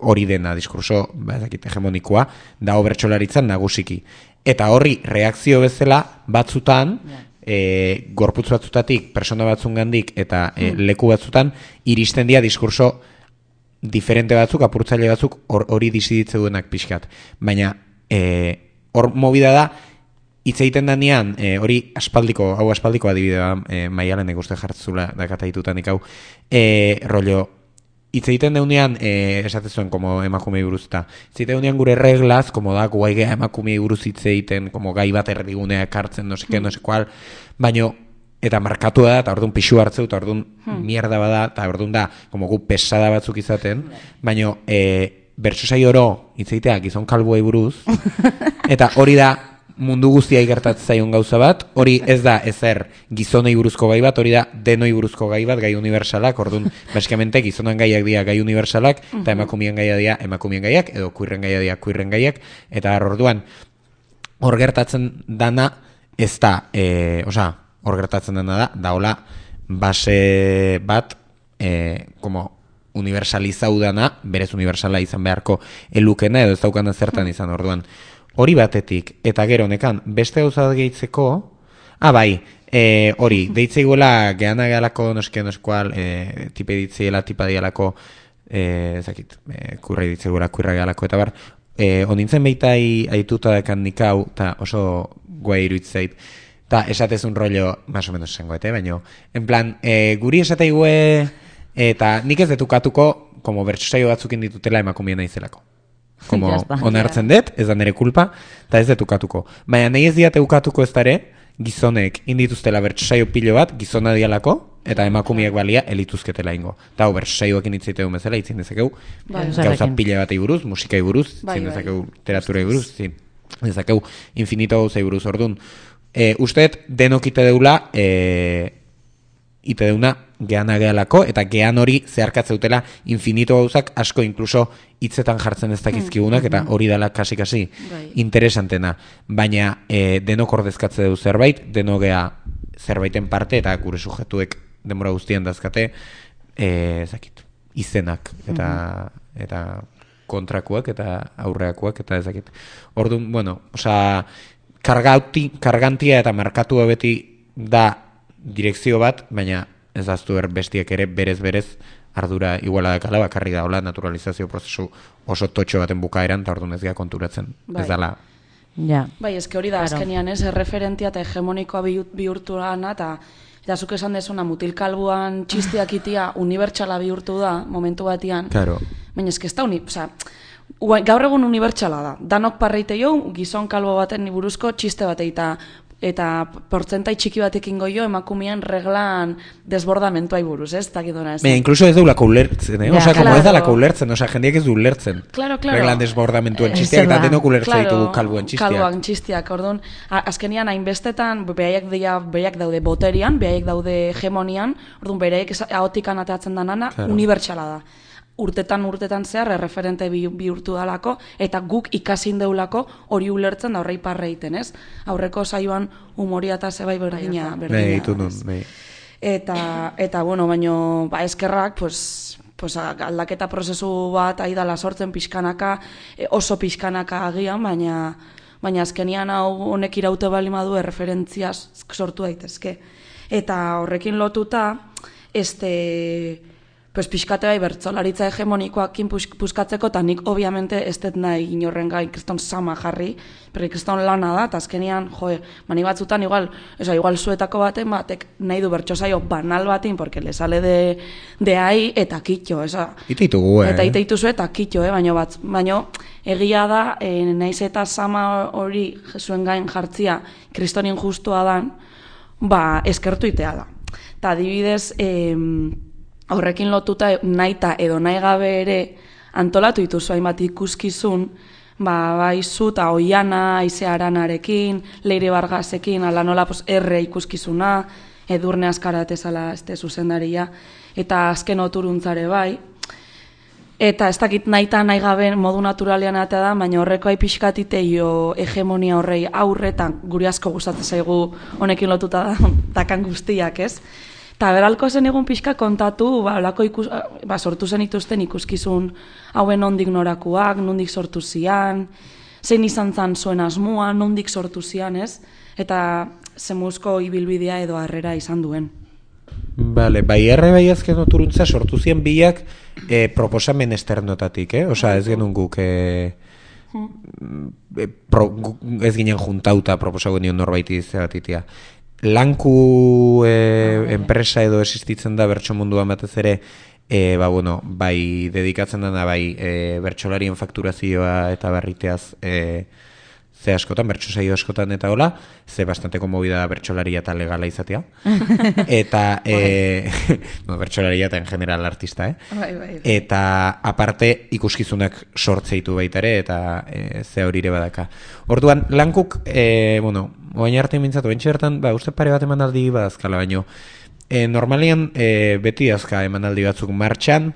hori dena, diskurso ba, hegemonikoa, da bertsolaritzan nagusiki. Eta horri reakzio bezala batzutan, yeah. e, gorputz batzutatik, persona batzungandik eta e, leku batzutan, iristen dira diskurso diferente batzuk, apurtzaile batzuk hori diziditze duenak pixkat. Baina hor e, movida da, hitz egiten danean, e, hori aspaldiko, hau aspaldiko adibidea, e, Maialenek uste jartzula dakata ditutan ikau, e, rollo, hitz egiten deunean, eh, esatezuen, como emakumei buruz eta, hitz egiten deunean gure reglaz, como da, guai geha emakumei buruz hitz egiten, como gai bat erdigunea ekartzen, no seke, no sekual, baino, eta markatu da, eta orduan pixu hartzeu, eta orduan hmm. mierda bada, eta orduan da, como gu pesada batzuk izaten, baino, eh, bertso saio oro, hitz egitea, gizon kalbuei buruz, eta hori da, mundu guztia igertatzen zaion gauza bat, hori ez da ezer gizonei buruzko gai bat, hori da denoi buruzko gai bat, gai universalak, orduan, basikamente gizonan gaiak dira gai universalak, eta emakumien gaia dira emakumien gaiak, edo kuirren gaia dira kuirren gaiak, eta orduan, hor gertatzen dana ez da, e, oza, hor gertatzen dana da, da hola, base bat, e, como universalizau dana, berez universala izan beharko elukena, edo ez daukana zertan izan, orduan, hori batetik, eta gero nekan, beste gauza gehitzeko, ah, bai, e, hori, deitzeiguela gehana gehalako, noske, noskual, e, tipe ditzeela, tipa dialako, e, ezakit, e, kurra ditzeiguela, kurra gehalako, eta bar, e, onintzen behitai aituta dekan nikau, eta oso guai iruitzeit, eta esatezun rollo, más o menos esangoete, baino, en plan, e, guri esateigue, eta nik ez detukatuko, como bertsosaio batzukin ditutela emakumien naizelako. Como onartzen dut, ez da nire kulpa, eta ez detukatuko. Baina nahi ez diate ukatuko ez dare, gizonek indituztela bertsosaio pilo bat, gizona dialako, eta emakumiek balia elituzketela ingo. Eta hau bertsosaioak initzeiteu bezala, itzin dezakeu, gauza pila batei buruz, musikai buruz, itzin dezakeu literaturei buruz, itzin dezakeu infinito gauzai buruz. Orduan, e, usteet denok ite deula, e, ite deuna geana gehalako, eta gean hori zeharkatzeutela infinito gauzak asko inkluso hitzetan jartzen ez dakizkigunak, eta hori dela kasi-kasi interesantena. Baina e, denok ordezkatze du zerbait, denok gea zerbaiten parte, eta gure sujetuek denbora guztian dazkate, e, ezakit, izenak, eta, eta kontrakuak, eta aurreakuak, eta ezakit. Orduan, bueno, osea, kargauti, kargantia eta markatua beti da direkzio bat, baina ez daztu er bestiek ere berez-berez ardura iguala dakala, bakarri da hola naturalizazio prozesu oso totxo baten bukaeran, eta orduan ez gea konturatzen. Bai. Ez dala. Ja. Bai, eske hori da, Claro. azkenian ez, erreferentia eta hegemonikoa bihu- bihurtu dana, eta eta zuk esan dezuna mutilkalbuan txistiak itia unibertsala bihurtu da, momentu batian. Claro. Baina eske ez da, uni, osea, ua- gaur egun unibertsala da. Danok parreite jo, gizon kalbo baten buruzko txiste bat eta eta portzentai txiki batekin goio emakumean reglan desbordamentuai buruz, ez? Dakidona ez. Baina, inkluso ez deulako ulertzen, eh? Ja, Osea, como claro. ez dalako ulertzen, osea, jendeak ez du ulertzen. Claro, claro. Reglan desbordamentuen Eh, txisteak, eta zer da. denok ulertza ditugu kalbuen txisteak. Kalboan txistiak, orduan, a- azkenian hainbestetan, behaiek dira, behaiek daude boterian, behaiek daude hegemonian, orduan behaiek esa- ahotikan ateatzen danana, Claro. unibertsala da. Urtetan urtetan zehar erreferente bi- bihurtu dalako, eta guk ikasin deulako hori ulertzen da horrei parre egiten, ez? Aurreko saioan humoria eta zebai berdina, Bai, berdina. ditu nun, ez? bai. Eta, eta bueno, baino, ba, eskerrak, pues, pues, aldaketa prozesu bat aidala sortzen pixkanaka, e, oso pixkanaka agian, baina, baina azkenian hau honek iraute bali madu erreferentzia sortu daitezke. Eta horrekin lotuta, este, pues pixkate bai bertsolaritza hegemonikoakin pus, puskatzeko, eta nik obviamente ez dut nahi inorren gai kriston sama jarri, pero kriston lana da, eta azkenian, joe, mani batzutan igual, esa, igual zuetako baten batek nahi du bertsosaio banal batin, porque le sale de, de ahí, eta kitxo, esa. Ite ditugu, eh? Eta ite dituzu eta kitxo, eh? baino, bat, baino egia da, eh, naiz eta sama hori zuen gain jartzia kristonin justua dan, ba, eskertu itea da. Eta adibidez, eh, horrekin lotuta naita edo nahi gabe ere antolatu dituzu hainbat ikuskizun, ba, bai zu eta Oiana, Aize Aranarekin, Leire Bargasekin, ala nola pues, erre ikuskizuna, Edurne Azkarate zala este zuzendaria, eta azken oturuntzare bai. Eta ez dakit naita nahi gabe modu naturalean atea da, baina horreko ai pixkatite jo hegemonia horrei aurretan guri asko gustatzen zaigu honekin lotuta da, dakan guztiak, ez? Eta beralko zen egun pixka kontatu, ba, olako ikus, ba, sortu zen ituzten ikuskizun hauen nondik norakuak, nondik sortu zian, zein izan zan zuen asmua, nondik sortu zian, ez? Eta zemuzko ibilbidea edo harrera izan duen. Vale, bai erre bai azken oturuntza sortu zien biak eh, proposamen esternotatik, eh? Osea, ez genuen guk eh, eh, pro, gu- ez ginen juntauta proposago nion norbaiti zebatitia. Lanku eh, enpresa edo existitzen da bertso munduan batez ere, eh, ba, bueno, bai dedikatzen dana bai eh, bertsolarien fakturazioa eta barriteaz eh, ze askotan, bertso saio askotan eta hola, ze bastante konmovida da bertsolaria eta legala izatea. Eta, e, no, bertsolaria eta en general artista, eh? Bai, bai. Eta aparte ikuskizunak sortzeitu baita ere, eta e, ze hori ere badaka. Orduan, lankuk, e, bueno, oain arte mintzatu, bentsi bertan, ba, uste pare bat emanaldi badazkala, baino, e, normalian e, beti azka emanaldi batzuk martxan,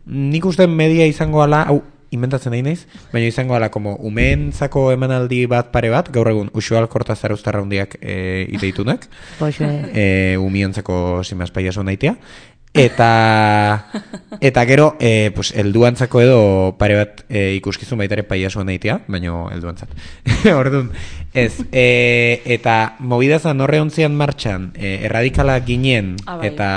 nik uste media izango ala, hau, inventatzen nahi naiz, baina izango ala, como umeentzako emanaldi bat pare bat, gaur egun Uxual Kortazar Uztarraundiak e, iteitunak, Poxe. e, umientzako simaz paiaso naitea, eta eta gero, e, pues, elduantzako edo pare bat e, ikuskizun baitare paiaso naitea, baina elduantzat. Orduan, ez, e, eta mobidazan horre ontzian martxan, e, erradikala ginen, Ah, bai. eta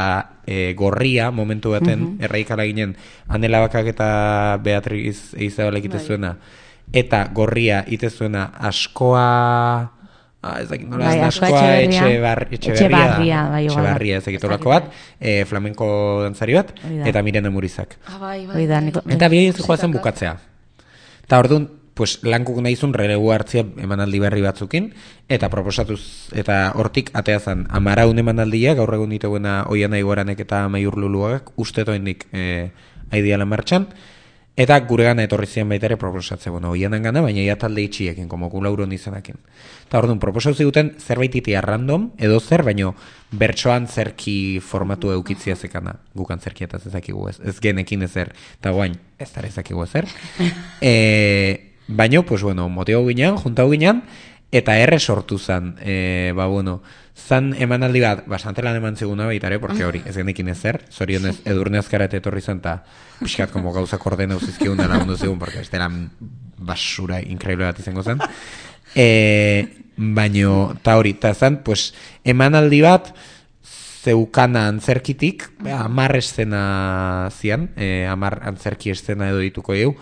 e, gorria, momentu baten, uh -huh. erradikala ginen, Anela Bakak eta Beatriz Eizabalek ite Bai. zuena, eta gorria ite zuena askoa... Ah, ez dakit nola, Bai, ez Askoa askoa Etxeberria. etxebar, etxeberria, Etxebarria, da. bai, igual. Etxebarria, ez dakit olako bat, e, flamenko dantzari bat, Hori da. eta Mirena Murizak. Ah, bai, bai. Hori da, bai. niko- Eta bi ez joazen bukatzea. Eta orduan, pues, lankuk nahizun relegu hartzia emanaldi berri batzukin, eta proposatuz, eta hortik ateazan, amaraun emanaldia, gaur egun dituguena Oiana Igoranek eta Maiur Luluagak, uste toenik e, aidiala martxan, Eta guregana etorri ziren baita ere proposatze, bueno, oienan gana, baina ia talde itxiekin, como gu lauron izenakin. Eta orduan, proposau ziguten zerbait itia random, edo zer, baino bertsoan zerki formatu eukitzia zekana, gukan zerkietaz ezakigu ez, ez genekin ezer, eta guain, ez dara ezakigu ezer. e, baino, pues bueno, motio ginean, juntau ginean, eta erre sortu zan, e, ba bueno, zan emanaldi bat, bastante lan eman ziguna baitare, porque hori, ez genekin ezer, zorionez edurne azkarate etorri zen, eta pixkat como gauzak ordena uzizkigun da lagundu zigun, porque ez dela basura increíble bat izango zen. E, baino, ta hori, ta zan, pues, emanaldi bat, zeukana antzerkitik, amar eszena zian, e, amar antzerki eszena edo dituko eu,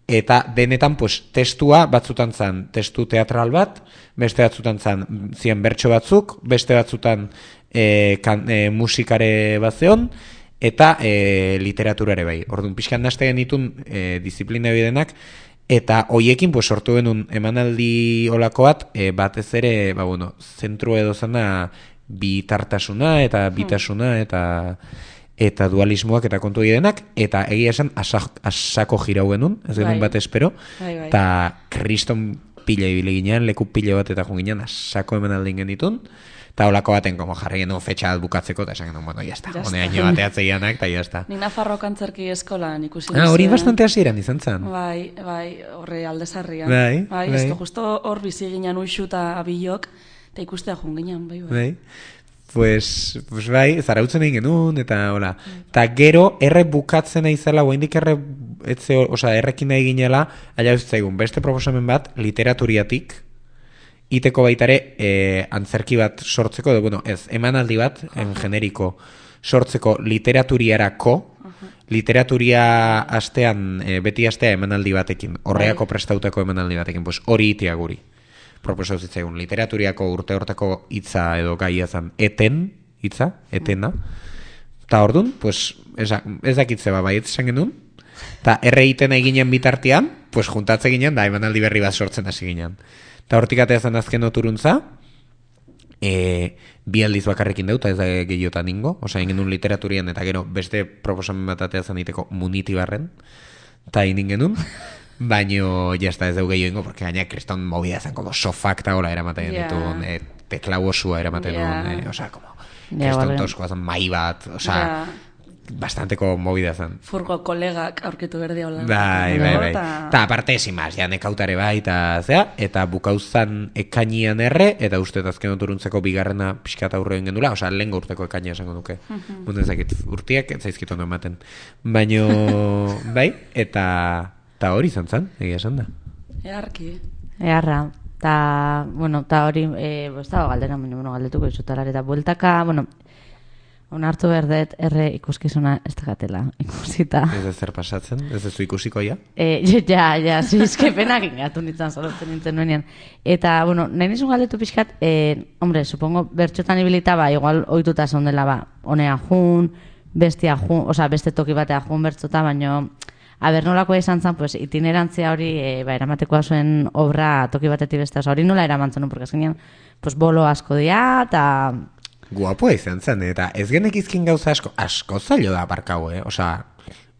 eta denetan, pues, testua batzutan zan, testu teatral bat, beste batzutan zan, zian bertso batzuk, beste batzutan e, kan, e, musikare bat zeon, eta e, literaturare bai. Orduan, pixkan naste genitun e, disiplina bidenak, eta hoiekin, pues, sortu genuen emanaldi olako bat, e, batez ere, ba, bueno, zentru edo zana bitartasuna, eta bitasuna, eta eta dualismoak eta kontu denak, eta egia esan asak, asako jirau genuen, ez genuen bat espero, eta kriston pila ibili ginean, leku pila bat eta junginean, asako emanaldin genitun, eta holako baten como jarri genuen fetxa bat bukatzeko, eta esan genuen, bueno, jazta, hone haino bateatzeianak, eta jazta. Ni Nafarroko antzerki eskolan ikusi Ah, hori bastante hasieran izan zen. Bai, bai, horre aldezarrian. Bai, bai. bai. Esko justo hor bizi ginen uixu eta abilok, eta ikustea jun ginen, bai, bai. Bai. Pues, pues bai, zarautzen egin genuen, eta hola. Eta gero, erre bukatzen aizela, oaindik erre, etze, oza, errekin nahi ginela, aia zaigun, beste proposamen bat, literaturiatik, iteko baitare, e, antzerki bat sortzeko, edo, bueno, ez, emanaldi bat, en generiko, sortzeko literaturiarako, literaturia astean, e, beti astea emanaldi batekin, horreako prestautako emanaldi batekin, pues hori itia guri. Proposau zitzaigun, literaturiako urte hortako hitza edo gaia zan eten, hitza, etena. Ta ordun, pues, ez dakitze ba, baiet esan genuen, eta erre iten eginen bitartean, pues, juntatze ginen, da, emanaldi berri bat sortzen hasi ginen. Eta hortik atea zan azken oturuntza, e, bi aldiz bakarrekin dut, ez da gehiotan ingo, osea, egin genuen literaturian, eta gero beste proposamen bat atea zan iteko muniti barren, eta egin genuen, baino, jazta ez dugu gehiago, porque gaina kriston movida zen, como sofak eta hola eramaten yeah. dituen, e, teklau osua eramaten yeah. duen, e, osea, como, kriston yeah, toskoa zen, mai bat, osea, yeah. bastanteko movida zen. Furgo kolegak aurkitu berdi hola. Bai, bai, bai. Eta aparte esimaz, ja nekautare bai, eta zea, eta bukauzan ekainian erre, eta uste azken oturuntzeko bigarrena pixkat aurre egin gendula, osea, lehen urteko ekainia esango duke. Bunten zakit, urtiak ez zaizkitu ondo ematen. Baino, bai, eta... Ta hori izan zen, egia esan da. Earki. Earra. Ta, bueno, ta hori, eh, ez dago galdera, bueno, galdetuko izutalar, eta bueltaka, bueno, onartu berdet, erre ikuskizuna ez da gatela, ikusita. Ez ez zer pasatzen, ez ez du ikusiko ja? Eh, ja, ja, zizkepenak ingatu nintzen, solotzen nintzen nuenean. Eta, bueno, nahi nizun galdetu pixkat, eh, hombre, supongo, bertxotan ibilita, ba, igual oituta zondela, ba, honea jun, bestia jun, oza, beste toki batea jun bertxota, baino... Aber, nolakoa izan zen, pues, itinerantzia hori, e, ba, eramatekoa zuen obra toki batetik beste, oza, hori nola eramantzen, no? Porque azkenean, pues, bolo asko dia, eta... Guapoa izan zen, eta ez genekizkin gauza asko, asko zailo da aparkau, eh? Osa,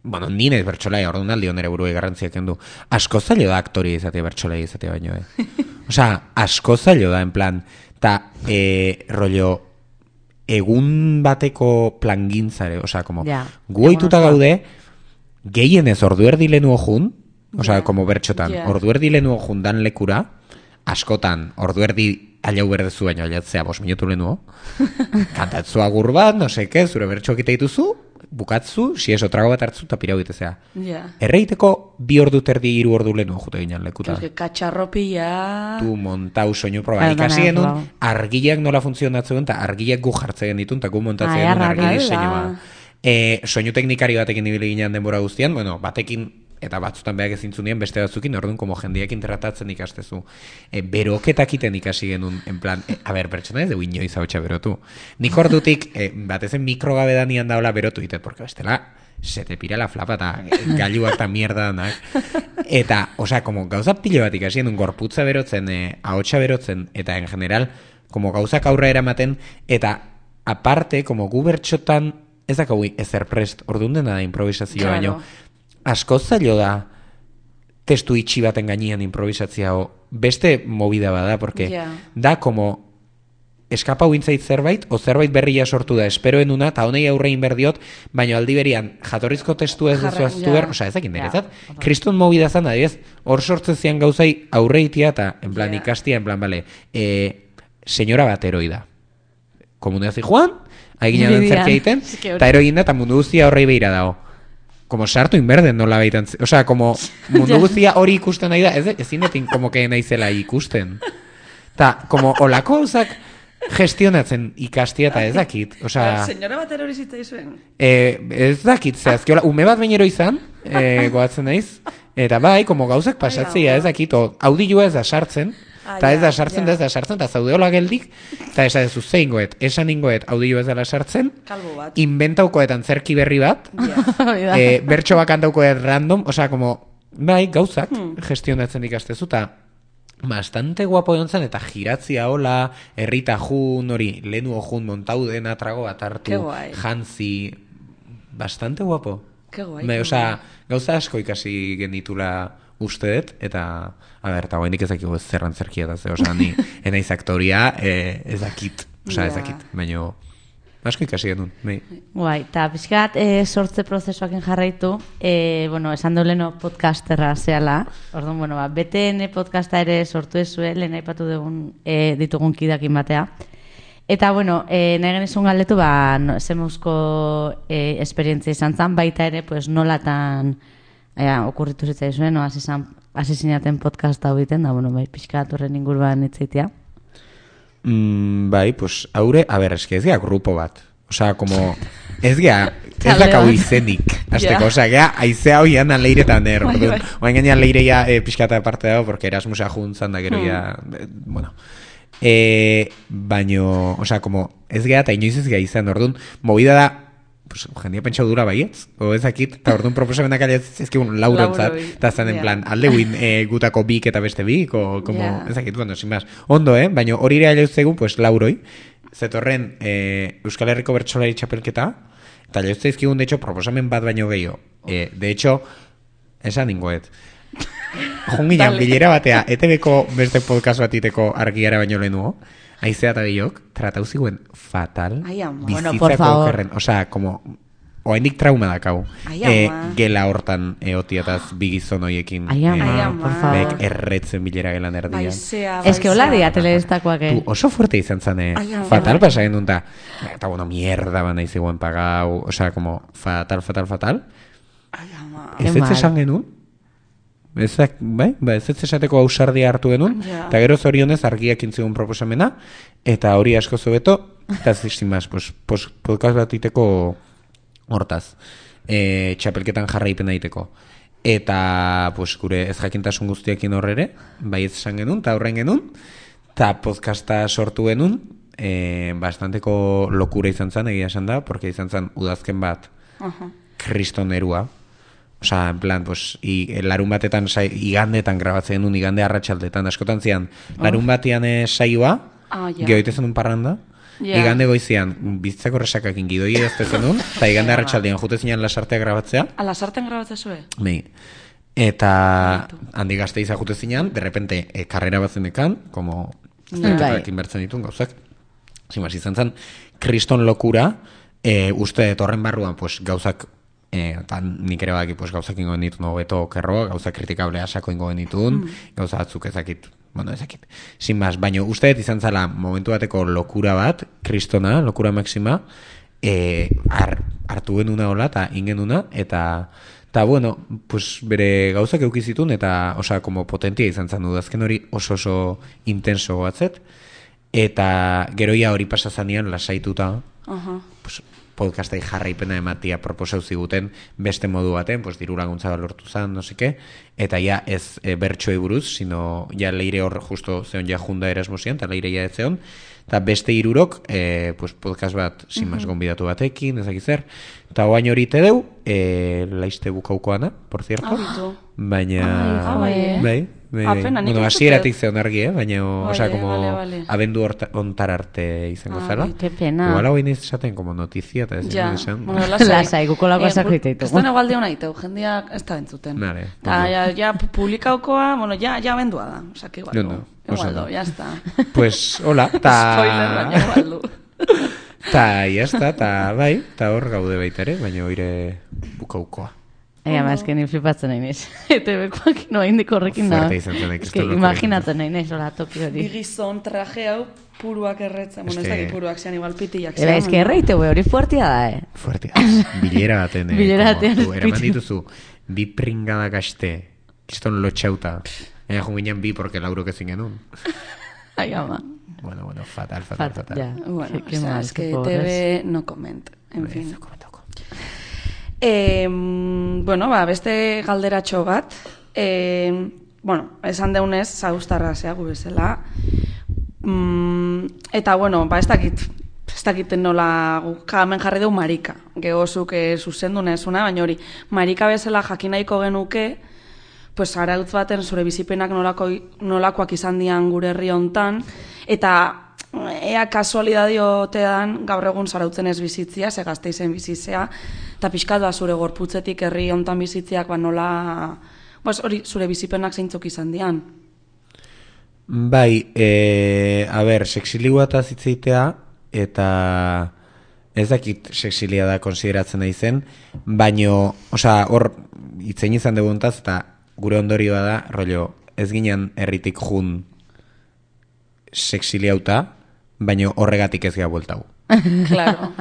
bueno, nire bertxolai, orduan aldi onere buruei garrantziak endu, asko zailo da aktoria izatea, bertxolai izatea baino, eh? Osa, asko zailo da, en plan, eta, e, rollo, egun bateko plangintzare, osa, como, ja, guoituta gaude, gehienez ordu erdi lehenu ojun, osea, yeah. como bertxotan, yeah. ordu erdi lehenu ojun dan lekura, askotan, ordu erdi alau berdezu baino, aiatzea bos minutu lehenu, kantatzu agur bat, no seke, zure bertxo egite dituzu, bukatzu, si eso trago bat hartzu, eta pirau egitezea. Yeah. Erreiteko bi ordu terdi hiru ordu lehenu jute ginen lekuta. Katxarropia... Tu montau soinu proba. Ikasi genuen, argileak nola funtzionatzen, eta argileak gu jartzen ditun, eta gu montatzen genuen argi diseinua. E, soinu teknikari batekin ibili ginean denbora guztian, bueno, batekin eta batzutan behak ezintzunien beste batzukin, orduan, como jendeak interratatzen ikastezu. E, beroketakiten ikasi genuen, en plan, e, a ber, pertsona ez dugu inoiz hau berotu. Nik ordutik, e, batezen mikrogabe danian daula berotu ditet, porque bestela, se te pira la flapa, eta gailuak eta mierda danak. Eta, osea, como gauza pilo bat ikasi genuen, gorputza berotzen, e, ahotsa berotzen, eta en general, como gauzak aurra eramaten, eta aparte, como gu bertxotan, ez dakau ezer prest, orduan dena da improvisazioa, claro. Baino, askoz zailo da testu itxi baten gainean improvisatzea o beste movida bada, porque Yeah. da como eskapau intzait zerbait, o zerbait berria sortu da, esperoen una, eta honei aurrein berdiot, baina aldi berian, jatorrizko testu ez Jarra- duzu aztu ja. behar, osea, ezakin Ja, niretzat, opa. kriston movida zan, adibidez, hor sortzen zian gauzai aurreitia, eta, en plan, Ja. ikastia, en plan, bale, eh, senyora bat heroida. Komunea zi joan, haigina den Meridian. zerkia egiten, Eske hori. eta heroin da, eta mundu guztia horrei behira dago. Como sartu inberden nola baitan, osea, como mundu guztia hori ikusten nahi da, ez, ezin etin como que naizela ikusten. Ta, como olako gauzak gestionatzen ikastia eta ez dakit, osea, Senyora bat erori zitzaizuen. eh, ez dakit, zehazki, hola, ume bat bainero izan, eh, goatzen naiz, eta bai, como gauzak pasatzea, ez dakit, o, audioa ez da sartzen, eta ez da sartzen, da ez da sartzen, eta zaudeola geldik, eta esan ez zein goet, esan ingoet audioa ez dela sartzen, Kalbo bat. inventaukoetan zerki berri bat, Hori da. eh, bertso bakantaukoet random, osea, como, bai, gauzak gestionatzen ikastezu, eta bastante guapo egon zen, eta giratzia hola, herrita jun, hori, lehenu jun montau dena trago bat Ke hartu, guai. jantzi, bastante guapo. Ke guai, Me, ke osea, gauza asko ikasi genitula uste dut, eta, a ber, eta guainik ez dakigu ez zerran zerkia da, ze, osea, ni, enaiz aktoria, eh, ez dakit, osea, ez Ja. dakit, baina, asko ikasi genuen, bai. Guai, eta pixkat e, sortze prozesuakin jarraitu, e, bueno, esan du leno podcasterra zehala, orduan, bueno, ba, B T N podcasta ere sortu ezue, lehen aipatu dugun e, ditugun kidakin batea. Eta, bueno, e, nahi genizun galdetu, ba, no, zemuzko e, esperientzia izan zen, baita ere, pues, nolatan e, okurritu zitzaizuen, no, hasi zan- hasi zinaten podcast hau egiten, da, bueno, bai, pixkat horren inguruan itzaitea. Mm, bai, pues, haure, a ber, eske ez gea grupo bat. Osea, como, ez gea, ez Talde dakau bat. izenik, azteko, Ja. osea, gea, aizea hoian aleiretan er, Bai, orduan, bai. oain gainean leireia e, pixkata aparte dago, porque Erasmusa juntzan da gero ya, eh, bueno, e, baino, osea, como, ez gea, eta inoiz ez gea izan, orduan, movida da, pues, jendia pentsau dura baietz, o ezakit, eta orduan proposamenak alez ezkigun laurontzat, Lauroi, eta zan en ja. plan, alde guin e, gutako bik eta beste bik, o, como, Ja. ezakit, bueno, sin más, ondo, eh, baina hori ere aleuzegun, pues, lauroi, zetorren e, Euskal Herriko Bertsolari txapelketa, eta aleuzeizkigun, de hecho, proposamen bat baino gehiago, e, de hecho, esan ningoet, junginan Dale. bilera batea, E T Bko beste podcast batiteko argiara baino lehenuo, aizea eta biok, tratau ziguen fatal, Ai, ama. Bueno, bizitzako por favor. okerren, osea, como, oaindik trauma dakau, Ai, e, ama. gela hortan eotiataz bigizon hoiekin, Ai, ama, Ai, eh, ama. por favor. bek erretzen bilera gelan erdian. Baizea, Ez que hola baizea. dia telebestakoak, eh? Tu, oso fuerte izan zen, eh? Ai, ama. Fatal pasa genuen, eta, eta bueno, mierda bana iziguen pagau, osea, como, fatal, fatal, fatal. Ai, ama. Ez Ke ez mal. esan genuen, ezak, bai, ba, ez ez esateko ausardia hartu genuen, Ja. eta gero zorionez argiak intzigun proposamena, eta hori asko zobeto, eta zizimaz, pues, pues, podcast bat iteko hortaz, e, txapelketan jarraipen daiteko. Eta, pues, gure ez jakintasun guztiekin horrere, bai ez esan genuen, eta horren genuen, eta podcasta sortu genuen, e, bastanteko lokura izan zen, egia esan da, porque izan zen udazken bat, Aha. kriston erua. Osa, en plan, pues, i, larun batetan, sai, igandetan grabatzen genuen, igande arratsaldetan askotan zian, larun batean eh, saioa, Ah, ja. gehoite zenun parranda, Ja. igande goizian, bizitzako resakakin gidoi edazte zenun, eta igande arratsaldean jute zinean lasartea grabatzea, Ala, sarten grabatzen zue? Bai. Eta handi gazte izan jute zinean, de repente, e, karrera bat zenekan, como Bai. inbertzen ditun gauzak. Zimaz, izan zen, kriston lokura, e, uste dut horren barruan, pues, gauzak, e, eta nik ere badaki, pues, gauzak ingo genitun hobeto okerro, gauzak kritikablea sako ingo genitun, gauza batzuk ezakit, bueno, ezakit. Sin más, baina uste dut izan zala momentu bateko lokura bat, kristona, lokura maxima, e, har, hartu genuna hola, eta ingenuna, eta eta bueno, pues bere gauzak eukizitun, eta, osea, como potentia izan zen udazken hori oso oso intenso batzet, eta geroia hori pasazanean lasaituta, Aha. pues, podcastai jarraipena ematia proposau ziguten beste modu baten, pues, diru laguntza bat lortu zan, no seke, eta ja ez e, bertsoei buruz, sino ja leire hor justo zeon ja junda Erasmusian, eta leire ja ez zeon, eta beste hirurok, e, pues, podcast bat, sinmas Mhm. gonbidatu batekin, ezak zer, eta oain hori te deu, e, laiste bukaukoana, por cierto, Abitu. baina, Ah, bai, eh? bai, bai, Ah, bai. pena, nik Bueno, ez dut hasieratik ez. zeon argi, eh? baina, Vale, osea, como vale, vale. abendu horta- ontar arte izango Ah, zela. bai. Qué pena. Igual hau iniz esaten, como notizia, eta ez Ja, esan. bueno, lasai. Lasai, guko lako Eh, esak gu- diteitugu. Ez da negualde hona iteu, jendeak ez da entzuten. Vale, Ta, ondo. ja, ja, publikaukoa, bueno, ja, ja bendua da. Osa, que igual, Ondo, no. oso Igual, ondo. ya está. Pues, hola, ta... Spoiler, baina igual du. Ta, jazta, ta, bai, ta hor gaude baita ere, baina oire bukaukoa. Ega, ma, eske ni flipatzen nahi naiz. E te bekoak no indik horrekin da. Fuerte izan zen, Eske Kriston locura imaginatzen nahi naiz, hola, toki hori. Bi gizon traje hau puruak erretzen. Bueno, ez Eske- dakit puruak zean, igual pitiak Eba, eske erreite, we, hori fuertia da, eh? Fuerte, bilera baten, eh, Bilera como, batean tu, eraman espiritu. dituzu, bi pringada gaste, kiston lotxauta, ega junginan bi, porque laurok ezin genuen. Ai, ama. Bueno, bueno, fatal, fatal, Fat, fatal. ja. Bueno, Qué- qué o sea, mal, es qué que pobres. T V no comment. En Bai, fin. toko, toko. Eh, bueno, ba, beste galderatxo bat. Eh, bueno, esan deunez, zauztarra zea gu bezala. Mm, eta, bueno, ba, ez dakit, ez dakit nola guk hemen jarri dugu marika. Gehozuk eh, zuzendu nezuna, baina hori, marika bezala jakin nahiko genuke, pues arautz baten zure bizipenak nolako, nolakoak izan dian gure herri hontan, eta ea kasualidadiotean gaur egun zarautzen ez bizitzia, ze Gasteizen bizitzea, eta pixkat ba zure gorputzetik herri hontan bizitziak ba nola, pues hori zure bizipenak zeintzuk izan dian. Bai, e, a ber, sexiligua eta zitzeitea, eta ez dakit sexilia da konsideratzen nahi zen, baino, osea, hor, itzein izan duguntaz, eta gure ondorioa da, rollo, ez ginen herritik jun sexiliauta, baino horregatik ez geha bueltau. Claro.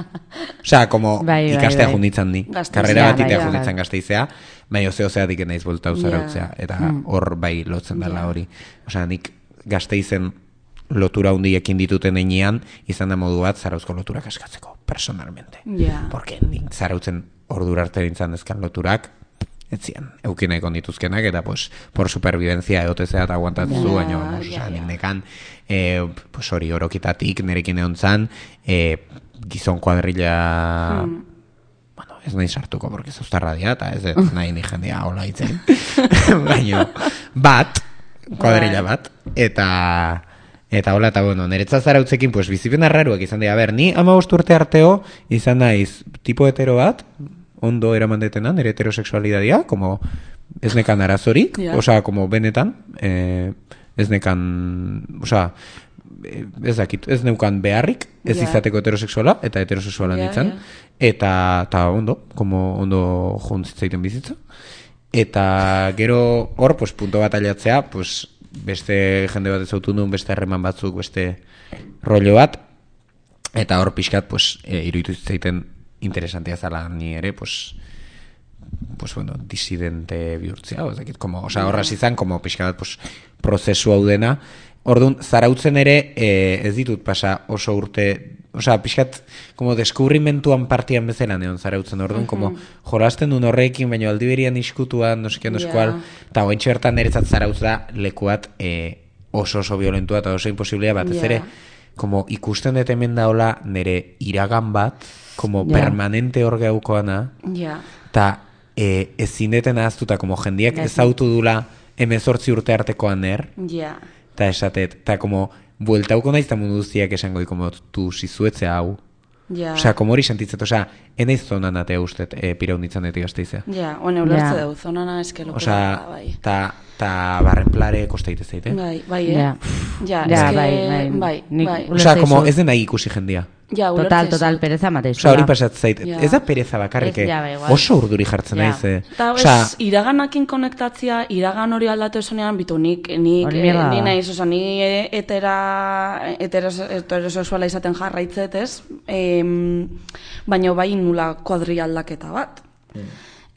Osea, como Bai, bai, ikastea bai. junditzan ni. Gasteizea, Karrera bai, batitea bai. junditzan Gasteizea, baina zeo zeatik naiz bueltau Ja. zarautzea. Eta hor bai lotzen dela Ja. hori. Osea, nik Gasteizen lotura hundiekin dituten einean, izan da modu bat zarauzko loturak askatzeko, personalmente. Ja. Porque nik zarautzen ordura arte nintzen ezkan loturak, ez zian, eukin nahiko dituzkenak, eta pues, por supervivencia egotezea eta aguantatzu, Ja, baina, vamos, ja, osea, nik ja. nekan, eh, pues hori orokitatik nerekin egon zan, eh, gizon kuadrilla, Hmm. bueno, ez nahi sartuko, porque zauztarra dia, eta ez dut nahi ni jendea hola itzen, baina, bat, kuadrilla bat, eta... Eta hola, eta bueno, niretzat zarautzekin, pues, bizipen arraruak izan dira. A ber, ni hamabost urte arteo izan naiz tipo hetero bat, ondo eraman detenan, nire heterosexualidadia, como ez nekan arazorik, Ja. osea, como benetan, eh, ez nekan, osea, eh, ez dakit, ez neukan beharrik, ez Ja. izateko heterosexuala, eta heterosexuala Ja, nintzen, ja. eta, eta ondo, como ondo juntzitzaiten bizitza. Eta gero hor, pues, punto bat ailatzea, pues, beste jende bat ezautu nuen, beste harreman batzuk, beste rollo bat, eta hor pixkat, pues, e, iruditu zitzaiten interesantea zala ni ere, pues, pues bueno, disidente bihurtzea, o, ez dakit, como, osea, horraz izan, como pixka bat, pues, prozesu hau dena. Orduan, zarautzen ere, e, ez ditut pasa oso urte, osea, pixkat, como deskubrimentuan partian bezala neon zarautzen, orduan, como, jolasten duen horrekin, baina aldi berian iskutuan, no seke, no Ja. sekual, eta hoentxe bertan niretzat zarautz da lekuat e, oso oso violentua eta oso imposiblea bat, ez Ja. ere, como ikusten dut hemen daola nire iragan bat, como Ja. permanente hor gaukoana, Ja. eta e, ezin deten ahaztuta, como jendiak ezautu dula hemezortzi urte artekoan er, Ja. eta esatet, eta como bueltauko naiz eta mundu guztiak esango, como tu sizuetzea hau. Ja. Osea, como hori sentitzet, osea, enaiz zonan atea ustet, e, piraunditzan deti Gasteizea. Ja, one ulertze Ja. dau, zonana eske lokura Osea, da, bai. ta, ta barrenplare kostaite zaite. Bai, bai, eh? Ja. Ja, Ja, eske, bai, bai. bai, Nik bai. ulertze Osea, como dizut. ez den nahi ikusi jendia. Ja, Total, ulertze total, dizut. pereza mateiz. Osea, hori pasat zait. Ja. Ez da pereza bakarrik, Ez, eh? ja, bai, igual. Oso urduri jartzen Ja. naiz, eh? Eta Osea, ez, iraganakin konektatzia, iragan hori aldatu esonean, bitu nik, nik, Hori eh, mierda ni da. naiz, oza, ni eh, etera, heteros, heterosexuala izaten jarraitzet, ez? Em, baina bai nula kuadri aldaketa bat.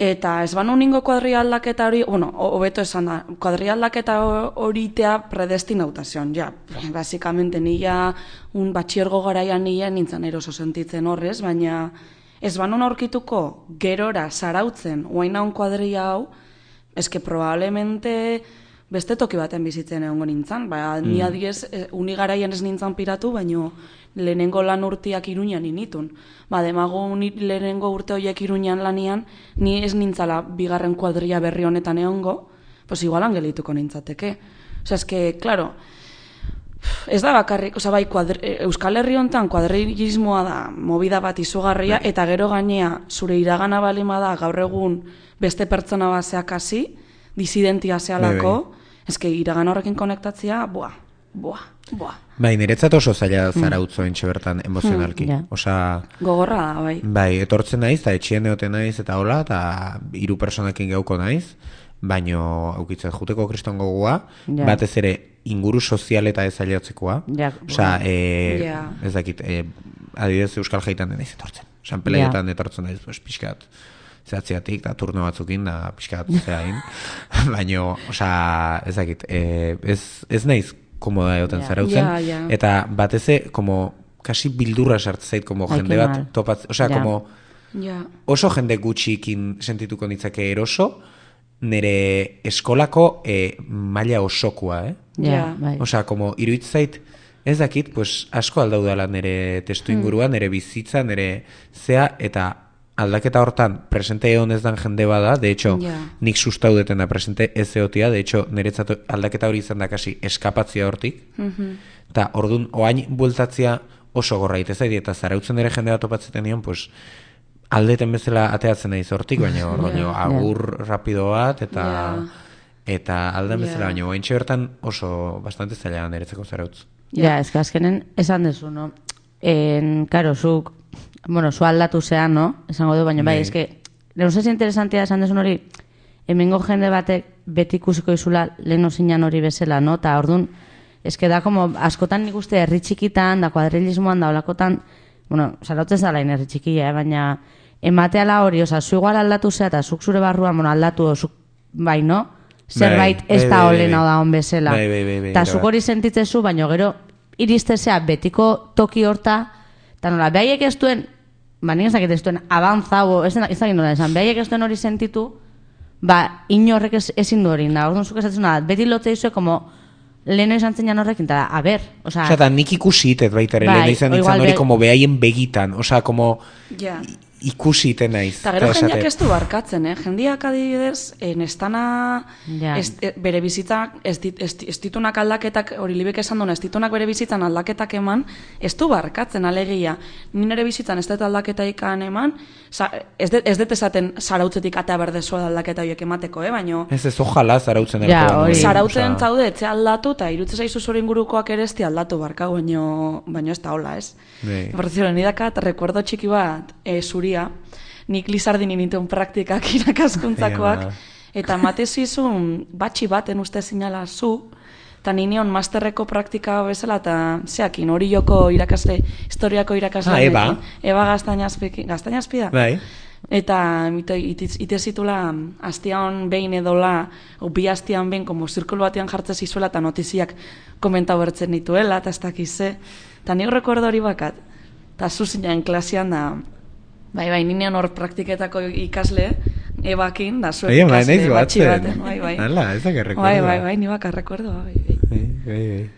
Eta ez banu ningo kuadri aldaketa hori, bueno, ho- hobeto esan da, kuadri aldaketa ho- horitea predestinautazion, ja. Basikamente nila un batxiergo garaian nila nintzen eroso sentitzen horrez, baina ez banu aurkituko gerora zarautzen, oaina un kuadria hau, eske probablemente beste toki baten bizitzen egongo nintzen. Ba, mm. ni adiez, e, uni garaian ez nintzen piratu, baino lehenengo lan urteak Iruñan initun. Ba, demago uni, lehenengo urte horiek Iruñan lanian, ni ez nintzala bigarren kuadria berri honetan egongo, pues igualan gelituko nintzateke. Osea, eske, claro, ez da bakarrik, oza, bai, kuadri, Euskal Herri honetan kuadrilismoa da, movida bat izugarria, eta gero gainea, zure iragana balima da, gaur egun beste pertsona bat zeakasi, disidentia zealako, eske iragan horrekin konektatzea, boa, boa, boa. Bai, niretzat oso zaila zarautzo entxe bertan emozionalki. Hmm, yeah. Osa, gogorra da, bai. Bai, etortzen naiz, eta etxien egoten naiz, eta hola, eta hiru personekin geuko naiz, baino aukitzen juteko kriston gogoa, yeah. batez ere inguru sozial eta ez aileotzekoa. Yeah. Osa, e, yeah. ez dakit, e, adibidez Euskal Jaitan denaiz etortzen. Osa, peleietan yeah. etortzen naiz, pues, pixkat, zehatziatik, da turno batzukin, da pixkat zehain. Baino, osa, ez dakit, e, ez, ez naiz komoda egoten yeah. zarautzen. Yeah, yeah. Eta bateze, como, kasi bildurra sartzait, como Ai, jende bat topatz, osea, yeah. como, yeah. oso jende gutxikin sentituko nitzake eroso, nire eskolako e, maila osokoa, eh? Ja, yeah, bai. Osea, como, iruditzait, ez dakit, pues, asko aldaudala nire testu inguruan, nire bizitza, nire zea, eta aldaketa hortan presente egon ez dan jende bada, de hecho, yeah. nik sustaudeten da presente ez egotia, de hecho, niretzat aldaketa hori izan da kasi eskapatzia hortik, Mm-hmm. eta orduan, oain bueltatzia oso gorra itezait, eta zarautzen ere jende bat topatzeten nion, pues, aldeten bezala ateatzen naiz hortik, baina yeah. agur yeah. rapido bat, eta yeah. eta alden bezala, Yeah. baina oaintxe bertan oso bastante zaila niretzeko zarautz. Ja, yeah, ez que azkenen esan dezu, no? En, karo, zuk, bueno, zu aldatu zean, no? Esango du, baina bai, Bai. ez que, lehenu zez interesantia esan dezu hori, hemengo jende batek beti ikusiko izula lehenu zinan hori bezala, no? Ta orduan, ez que da, como, askotan nik uste herri txikitan, da kuadrilismoan, da olakotan, bueno, zarautzez da lain herri txikia, eh? Baina emateala hori, oza, zu igual aldatu zea, eta zuk zure barruan, bueno, aldatu, zuk, bai, no? Zerbait ez da olena da hon bezala. Bai, bai, bai, bai, eta zuk hori sentitzezu, baina gero iristezea betiko toki horta, eta nola, behaiek ez duen, ba, nik ezakit ez duen avanzau, ez dakit nola esan, behaiek ez duen hori sentitu, ba, inorrek ez, ezin du hori, da, orduan zuk esatzen da, beti lote izue, como, leheno izan zen horrekin, eta a ber, oza... Osa, da, nik ikusi itet baita ere, Bai, leheno izan o nintzen igual hori, be- como behaien begitan, osa, como... Yeah. ikusi iten naiz. Eta gero eta jendeak esate- ez du barkatzen, eh? Jendeak adibidez, eh, nestana Ja. ez, eh, bere bizitzak, ez, dit, ez, ez ditunak aldaketak, hori libek esan duen, ez ditunak bere bizitzan aldaketak eman, ez du barkatzen alegia. Ni nire bizitzan ez dut aldaketa ikan eman, sa, ez, det, ez dut esaten zarautzetik atea berdezua aldaketa horiek emateko, eh? Baino, Ez ez, ojala zarautzen Ja, elkoan, hori. hori, zarautzen osea, zaude, etxe aldatu, eta irutze zaizu zure ingurukoak ere ez di aldatu barka, baino, baino ez da hola, ez? Bai. Por cierto, nidakat, recuerdo txiki bat, e, zuria, nik Lizardin inituen praktikak irakaskuntzakoak, Ema. eta matezizun batxi baten uste zinala zu, eta nineon masterreko praktika bezala, eta zeakin, hori joko irakasle, historiako irakasle. Ah, Eba. Eba Gaztainazpiki, Gaztainazpi da? Bai. Eta ite, ite, ite zitula astian behin edola, o bi astian behin, como zirkulu batean jartzen zizuela, eta notiziak komentau bertzen dituela, eta ez dakize. Eta nik rekordo hori bakat. Eta zuzinen klasean da, bai, bai, ninean hor praktiketako ikasle, ebakin, da zuek Bai, bai, ikasle naiz batxi batzen. baten, bai, bai. Hala, ezak errekordoa. Bai, bai, bai, ni bakar rekordo, bai, bai. Bai, bai, bai.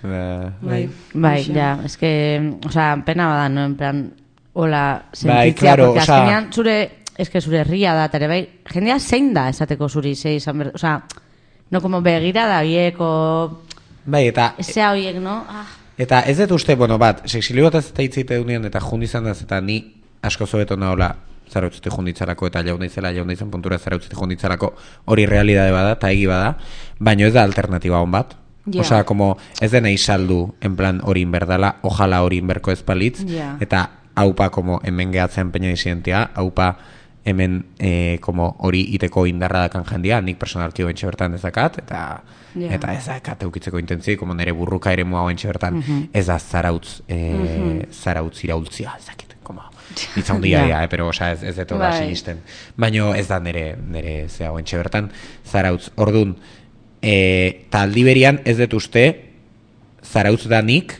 Ba, Bai, Bai, Hoxe. ja, es que, o sea, pena bada, no, en plan, hola, sentitzea, Bai, claro, porque osea- azkenean zure, es que zure herria da, eta ere bai, jendea zein da esateko zuri, zei izan ber, o sea, no como begira da bieko, bai, eta ezea horiek, no? Ah, eta ez dut uste, bueno, bat, sexilio bat ez eta hitzeite dunean, eta jun izan daz, eta ni asko zobeto nahola zarautzete junditzarako, eta jaun daizela, jaun daizan puntura zarautzete junditzarako, hori realidade bada, eta egi bada, baino ez da alternatiba hon bat. Ja. Osea, como ez dena izaldu, en plan hori inberdala, ojala hori inberko ez balitz, Ja. eta haupa como hemen gehatzen peina disidentia, haupa hemen eh, como hori iteko indarra dakan jendia, nik personalki hoentxe bertan ezakat, eta Ja. eta ezakat eukitzeko intentzi, como nire burruka ere mua hoentxe bertan, ez da zarautz, eh, zarautz iraultzia, ezakit, como, itza hundia, Ja. ja, eh, pero, osea, ez, ez deto da Bai. sinisten. Baino ez da nire, nire zea hoentxe bertan, zarautz, ordun, e, ta aldi berian ez dut uste, zarautz da nik,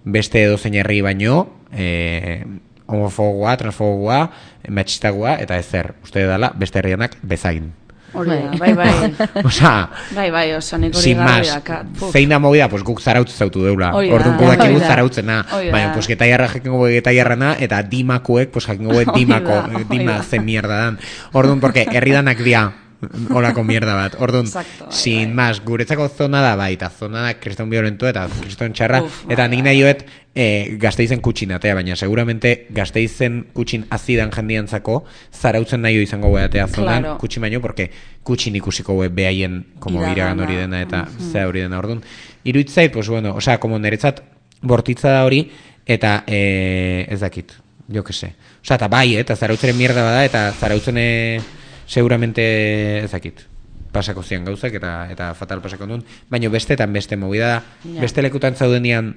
beste edozein herri baino, e, homofogoa, transfogoa, matxistagoa, eta ezer, uste dela, beste herrianak bezain. Hori da, bai, bai. Osea, Bai, bai, oso nik hori sin garbi más, daka. Puf. zein da movida, pues guk zarautz zautu deula. Hori da. Orduan guk Hori dakigu da. zarautzena. Hori da. Baina, pues getaiarra jakingo gue getaiarrana, eta dimakuek, pues jakingo gue Hori dimako, da, hori dima da. zen mierda dan. Orduan, porque herridanak dia, holako mierda bat. Orduan, Exacto, bai, sin bai. más, guretzako zona da, bai, eta zona da kriston violento eta kriston txarra, Uf, eta bai, nik nahi joet eh, Gasteizen kutxin atea, baina seguramente Gasteizen kutxin azidan jendiantzako zarautzen nahi izango atea zonan Claro. kutxin baino, porque kutxin ikusiko gue behaien como Iragana. iragan hori dena eta zea hori dena. Orduan, iruditzait, pues bueno, osea, como niretzat bortitza da hori, eta eh, ez dakit, jo que se. Osea, eta bai, eta zarautzeren mierda bada, eta zarautzen eh, seguramente ez dakit pasako zian gauzak eta eta fatal pasako nun, baina bestetan beste movida da, Ja. beste lekutan zaudenian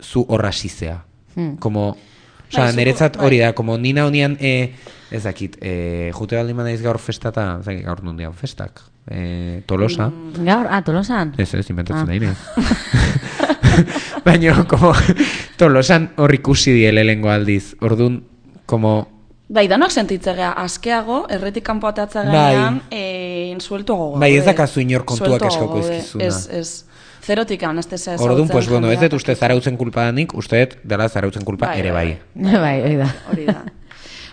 zu horra sizea. Hmm. Como, osea, Bai, zu- niretzat bai. hori da, como nina honian, eh, ez dakit, eh, jute baldin badaiz gaur festata, ez dakit, gaur nundian festak, eh, Tolosa, Gaur, ah, Tolosan? ez ez, inventatzen Ah. da inez. Baina, como, Tolosan hor ikusi die lehengo aldiz, ordun, como, Bai, danok sentitzea askeago, erretik kanpo atatza gainean, eh, sueltuago. Bai, ez gaude. dakazu inor kontuak Sueltuago eskauko gaude. ezkizuna. Ez, ez. Zerotik anestezia ezagutzen. orduan, pues bueno, ez jendeak. dut uste zarautzen kulpa danik, uste dut dela zarautzen kulpa Bai, ere bai, bai. Bai, hori da. Hori da.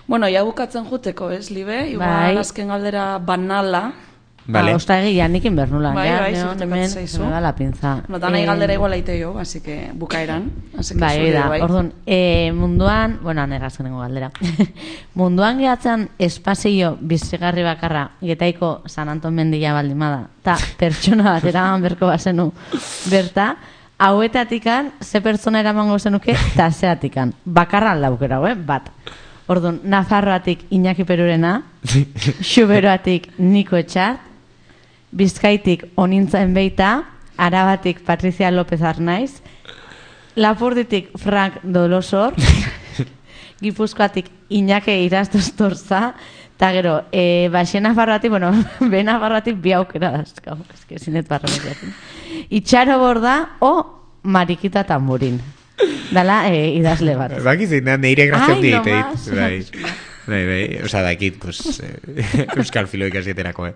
Bueno, ja bukatzen juteko, ez, Libe? Igual Bai. azken galdera banala. Vale. Ah, ostagi, ja, nik inbernula. Bai, ja, bai, neon zertako hemen, zaizu. me da la pinza. No, danai Eh, galdera igual aite jo, así que bukaeran. Así que Bai, zuri hori da. bai. Orduan, eh, munduan, bueno, nerazkenengo galdera. munduan gehatzen espazio bizigarri bakarra getaiko San Anton mendia baldimada, eta pertsona bat eraman berko bazenu berta, hauetatikan ze pertsona eramango zenuke, eta zeatikan. Bakarran laukera, eh? Bat. Orduan, Nafarroatik Iñaki Perurena, Xuberoatik Niko Etxart, Bizkaitik Onintzaen Beita, Arabatik Patricia López Arnaiz, Lapurditik Frank Dolosor, Gipuzkoatik Iñake Irastostorza, eta gero, e, Baxe Nafarroatik, bueno, be Nafarroatik bi aukera dazkau, eske zinet barrametiatzen. Itxaro Borda o Marikita Tamburin. Dala, e, idazle bat. Bakizik, da, neire grazio Ai, dit, no más. bai. Bai, bai, osa dakit, pues, eh, euskal filoik asieterako, eh.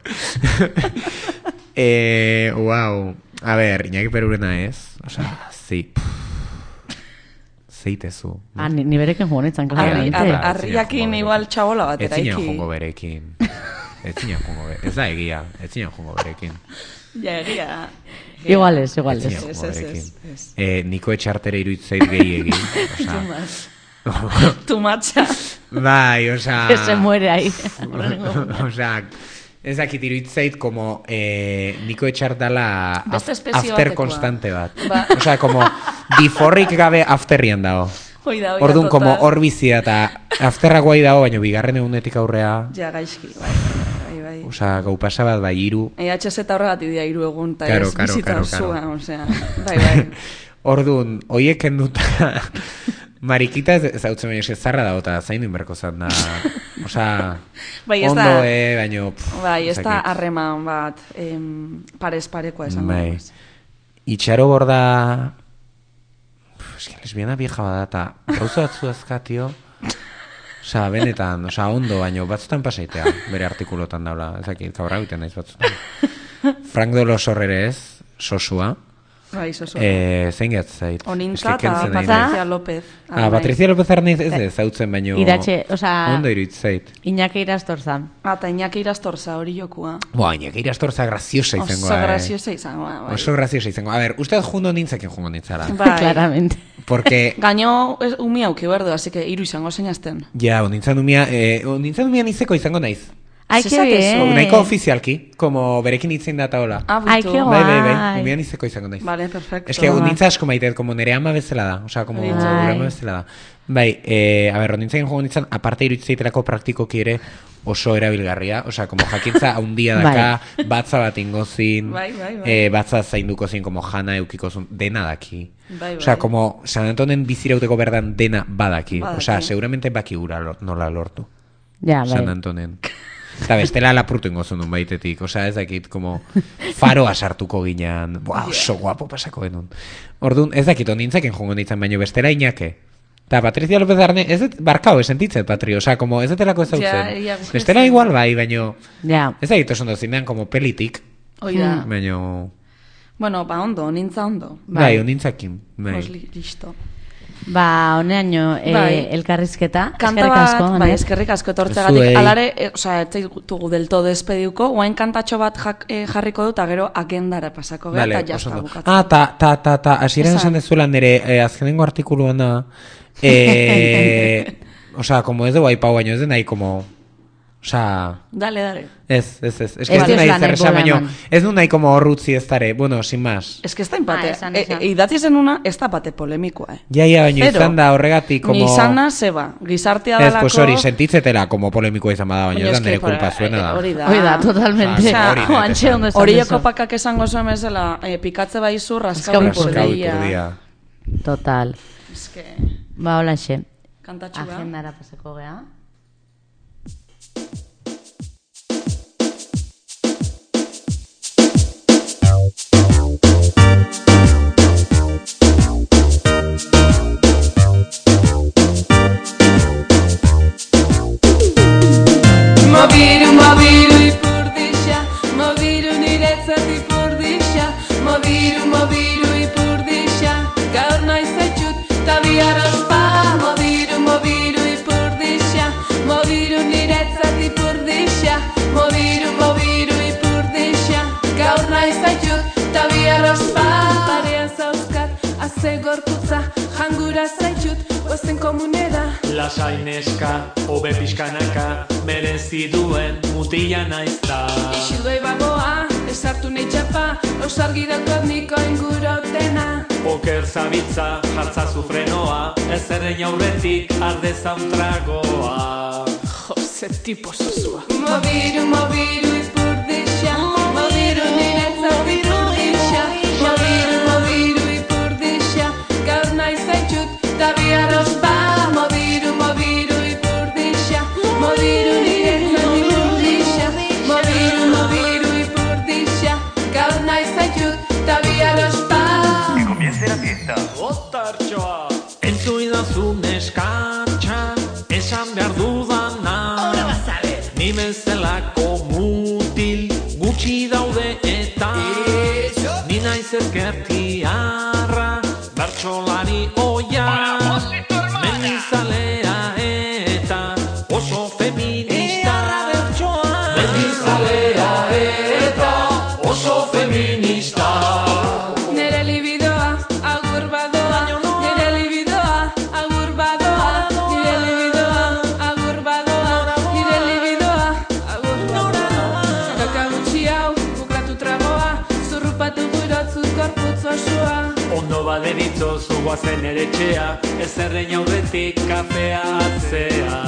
eh, wow, a ver, Iñaki Perurena ez, osa, zi, zeitezu. Ah, ni, ni berekin jugo nintzen, Arri, claramente. ar, Ar- arriakin igual txabola bat Ez zinen eraiki. jongo berekin. Ez zinen jongo berekin. Ez da egia, ez zinen jongo berekin. Ja, egia. Igual ez, igual Ez ez. zinen Ez, jongo ez, ez, berekin. ez. Eh, Niko Etxartere iruditzait gehi egin. Osa, Tumatxa. bai, osa... Que se muere ahí. Osea, ez dakit iruditzait como eh, Niko Etxart dala Beste af- espezie after batekoa. konstante bat. Ba. Osea, como biforrik gabe afterrian dago. Hoi da, hoi da, Orduan, como total. hor bizia eta afterra guai dago, baina bigarren egunetik aurrea, Ja, gaizki, bai, bai, bai. osea, gau pasa bat, bai, hiru. E H Z eta horregatik dira hiru egun, eta Karo, ez karo, bizita karo, osua, karo. osea, bai, bai. Orduan, hoiek kenduta Marikita ez zautzen baina eske zarra dago eta zaindu inberko zan da. Osea, Bai, ez ondo, da- eh, baino... pff, Bai, ez da dakit. harreman bat, em, parez parekoa esan. Bai. Itxaro Borda... Pff, eske lesbiana vieja bada eta gauza batzu azkatio... Osa, benetan, osa, ondo, baino batzutan pasaitea, bere artikulotan daula, ezakit, kabra egiten naiz batzutan. Frank Dolosor ere ez, sosua, Bai, zozo. eh, zein gehatzait. Onintza Eske eta kentzen nahi Patricia naiz. López. Ah, Patricia López Arnaiz ez ez zautzen, baino... Iratxe, osea- Ondo iruditzait. Iñaki Irastorzan. Ah, eta Iñaki Irastorza hori jokua. Boa, Iñaki Irastorza graziosa izango Oso da, eh. graziosa izango da, bai. Oso graziosa izango. A ver, usted jundo nintzakin jungo nintzara. Bai. Claramente. Porque... Gaino ez- umi auki berdu, así que hiru izango zeinazten. Ja, onintzan umia, eh, onintzan umia nizeko izango naiz. Ai, que Zezakezu, bien. Nahiko ofizialki, como berekin itzen data hola. Ah, Ai, bitu. que Bai, bai, bai, guai. umia nizeko izango naiz. Vale, perfecto. Es que unintza asko maitet, como nere ama bezala da. Osea, como Bai. gure ama bezala da. Bai, eh, a ver, onintzen joan nintzen, aparte iruditzeiterako praktikoki ere oso erabilgarria. Osea, como jakintza haundia daka, batza bat ingozin, Bai, bai, bai. eh, batza zainduko zin, como jana eukiko zun, dena daki. Bai, Osea, bai. como San Antonen bizirauteko berdan dena badaki. Badaki. Osea, seguramente baki gura lor, nola lortu. Ja, San bai. Antonen. Eta bestela lapurtu ingo zuen baitetik, osea ez dakit, como faroa sartuko ginean, buah, oso guapo pasako genuen. Orduan, ez dakit, ondintzaken jongo nintzen, baino bestela Iñake. Eta Patricia López Arne, ez dut, barkao, esentitzet, Patri, oza, como ez detelako ez Ja, dautzen. ja, Bestela igual bai, baino, Ja. ez da ditu ondo zinean, como pelitik, Hoi da. baino, Bueno, ba, ondo, nintza ondo. bai, ondintzakin, bai. Pues li- listo. Ba, honeaino eh, Bai. elkarrizketa. Kanta Eskerrik bat, asko, bai, Anet. eskerrik asko etortzegatik. Zuei. Alare, e, osea, ez zaitugu del todo despediuko, guain kantatxo bat jak, e, jarriko dut, eta gero agendara pasako gara, Vale, eta oso jazta ondo. bukatzen. Ah, ta, ta, ta, ta, hasieran Esan. esan dezuela nire eh, azkenengo artikuluan da, eh, osea, como ez dugu aipau baino, ez den nahi, como, osea, Dale, dale. ez, ez, ez, ez, Ez ez du nahi duzula zer nahi esan, bola baino, eman. ez du nahi como horrutzi ez dare, bueno, sin más. Ez que ez da empate. Ah, esan, E, esan. e, idatzi zenuna, ez da pate polemikoa, eh. Ja, ja, baino Zero. izan da horregatik, como... Ni izana, zeba, gizartea Ez, dalako... pues hori, sentitzetela, como polemikoa izan bada, baino Baina ez da eske, nire por- kulpa zuena da. Hori da. Hori da, totalmente. Osea, hori da, Oantxe esan. ondo esan Hori duzu. kopakak esango zuen bezala, eh, pikatze baizu, raskau Raskau ipurdia. ipurdia. Total. Eske, Ba, hola xe. kantatxua. Agendara pasako gea. Mobiru, mobiru ipurdixa, mobiru niretzat ipurdixa, mobiru, mobiru ipurdixa, gaur naiz etxut, ta bihar ospa. Mobiru, mobiru ipurdixa, mobiru niretzat ipurdixa, mobiru, mobiru ipurdixa, gaur naiz etxut, ta bihar ospa. Parean zauzkat, aze gorputza, jangura zaitxut, ozen komunera. Lasai neska, hobe pixkanaka, merezi duen mutila naiz da. Ixu doi bagoa, esartu nahi txapa, osargi daukat niko ingurotena. Oker zabitza, jartzazu frenoa, ez errein aurretik ardezan tragoa. Jose tipo zozua. Mobiru, mobiru ipurdixa, mobiru niretzat ipurdixa, mobiru, mobiru ipurdixa, gaur nahi zaitxut, ta bihar ospa. Mobiru, mobiru ipurdixa, mobiru niretzat ipurdixa, mobiru, mobiru ipurdixa, gaur nahi zaitxut, ta bihar ospa. Otartxoa! Entzu idazu neskantxa, esan behar dudana. Ni bezalako mutil gutxi daude eta ni naiz ezkertiarra, bertsolari oia, mendizalea eta oso feminista. Mendizalea eta oso feminista. Nere libidoa, agur badoa, nere libidoa, agur badoa, nire libidoa, agur badoa, nire libidoa, agur badoa. Kaka gutxi hau, bukratu tragoa, zurrupatu gurotzu korputz osoa. Ondo baderitzo zuguazen ere txea, ez errein aurretik kafea atzea.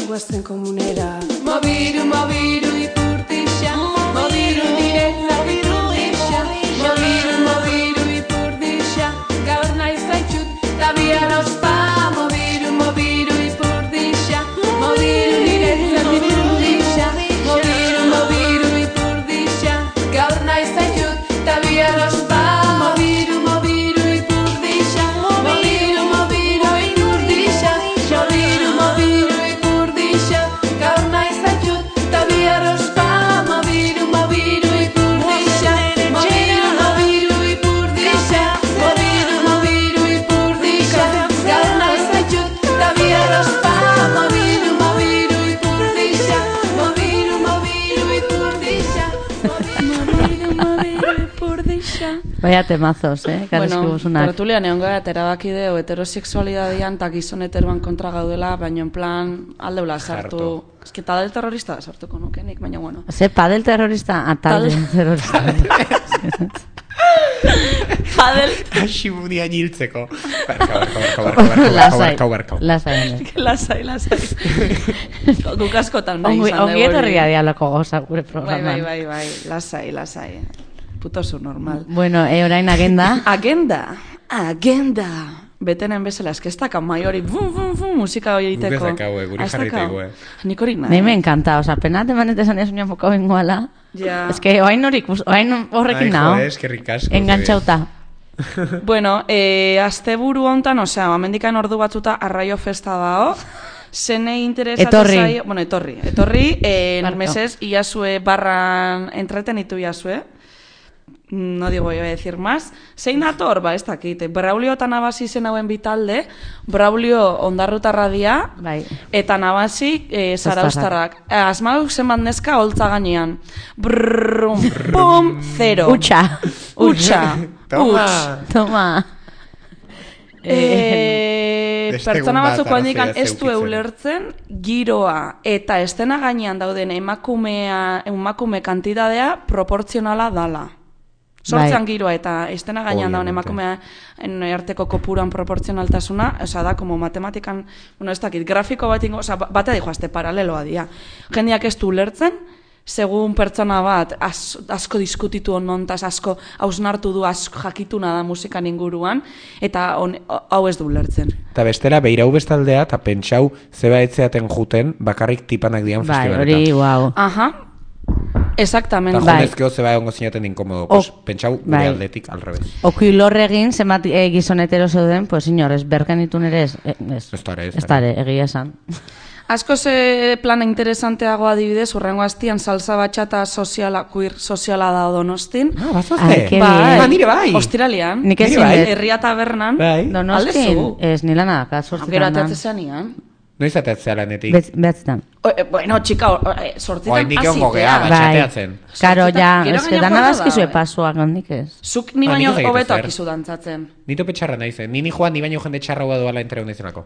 Guazen komunera. Mobiru, mobiru ipurdixa, mobiru niretzat ipurdixa, mobiru, mobiru ipurdixa, gaur nahi zaitxut, ta bihar ospa. Mobiru, mobiru ipurdixa, mobiru niretzat ipurdixa, mobiru, mobiru ipurdixa, gaur nahi zaitxut, ta bihar ospa. Mobiru, mobiru ipurdixa, mobiru, mobiru ipurdixa, mobiru, mobiru ipurdixa, gaur nahi zaitxut, ta bihar ospa. Mobiru, mobiru ipurdixa, mobiru, mobiru ipurdixa, mobiru, mobiru ipurdixa, gaur nahi zaitxut, ta bihar ospa. Mobiru, mobiru ipurdixa, mobiru, mobiru ipurdixa, mobiru, mobiru ipurdixa. Vaya temazos, eh? Bueno, Karrizkibuzunak. tertulian egon gara, eta erabaki deu heterosexualidadian eta gizon heteroan kontra gaudela, baina en plan aldeula sartu. Jartu. Ez que talde terrorista sartuko nukenik, baina bueno. Ze padel terrorista, atal Tal- terrorista. Padel, Asibunia niltzeko. Barka, barka, barka, barka, barka, Lasai, barka, barka. lasai. Ene. lasai, lasai. Guk askotan nahi Ongi, izan ongi dugu etorria hori. dialako goza gure Bai, programan. bai, bai, bai, lasai, lasai. Puto zu normal. Bueno, e orain agenda. Agenda, agenda. Betenen bezala, eske ez dakan mai hori, bum, bum, bum, musika hori Guk ez egiteko. dakau, eh, guri Ah, ez jarri dakau? taigu, eh. Nik hori nahi. Nahi me encanta, oza, pena temanete esan ez unean boka bengoala. Ja. Ez que oain horik, oain horrekin Ai, nao. jode, eskerrik asko. Engantzauta. Bueno, eh, asteburu hontan, osea, amendikan ordu batzuta arraio festa dao. Zenei interesatu Etorri. zaio, bueno, etorri, etorri, eh, Barto. mesez, iazue barran entretenitu iazue. No digo, iba a decir más. Zein dator, ba, ez dakit. Braulio eta Nabasi zen hauen bitalde, Braulio ondarrutarra dia, Bai. eta Nabasi e, zaraustarrak. Asmauk zenbat neska holtza gainean. Brrrum, pum, zero. Utxa. Utxa. Toma. Uts. Toma. E, Beste pertsona egun bat batzuk handikan arrazoia ez du zeukitzen. ulertzen giroa eta estena gainean dauden emakumea, emakume kantidadea proportzionala dala. Sortzean Bai. giroa eta estena gainean dauden Obviamente. emakumea arteko kopuran proportzionaltasuna, osea da, como matematikan, bueno, ez dakit, grafiko bat ingo, osea, batea dijo, azte paraleloa dia. Jendeak ez du ulertzen, segun pertsona bat az, asko diskutitu onontaz, asko hausnartu du, asko jakituna da musikan inguruan, eta on, hau ez du ulertzen. Eta bestela, beirau bestaldea, eta pentsau zeba etzeaten juten, bakarrik tipanak dian Bai, festivaleta. hori, wow. Aha, exactamente. Eta Bai. junezkeo zeba egongo zinaten inkomodo, pues, Ok, pentsau gure bai. aldetik alrebez. Okilor egin, zenbat e, gizon hetero zeuden, pues, inorez, bergenitun ere ez. eh, Ez, Ez dara, ez ez dara. dara, egia esan. Asko ze plana interesanteago adibidez, urrengo astian salsa batxata soziala, queer soziala da Donostin. Ah, bazazte. Ai, que Bai. bien. Ah, nire bai. Ostiralian. Nik Nire ezin bai. dut. Herria tabernan. Bai. Donostin, Aldezu. ez nila nada, sortzitan. Gero ateatzen zenean. Noiz ateatzea lanetik? Behatzetan. O, eh, bueno, txika, o, eh, sortzitan Oaindik egongo gea, azitea. bai. Txateatzen. Karo, Sortzitan- ja, gero ez que gaina dana guarda bazkizue da, eh. pasuak handik ez. Zuk ni Ba, baino nik ez hobeto zer. akizu dantzatzen. Nito petxarra naizen, nini joan, ni baino jende txarra hua doala entera hondezenako.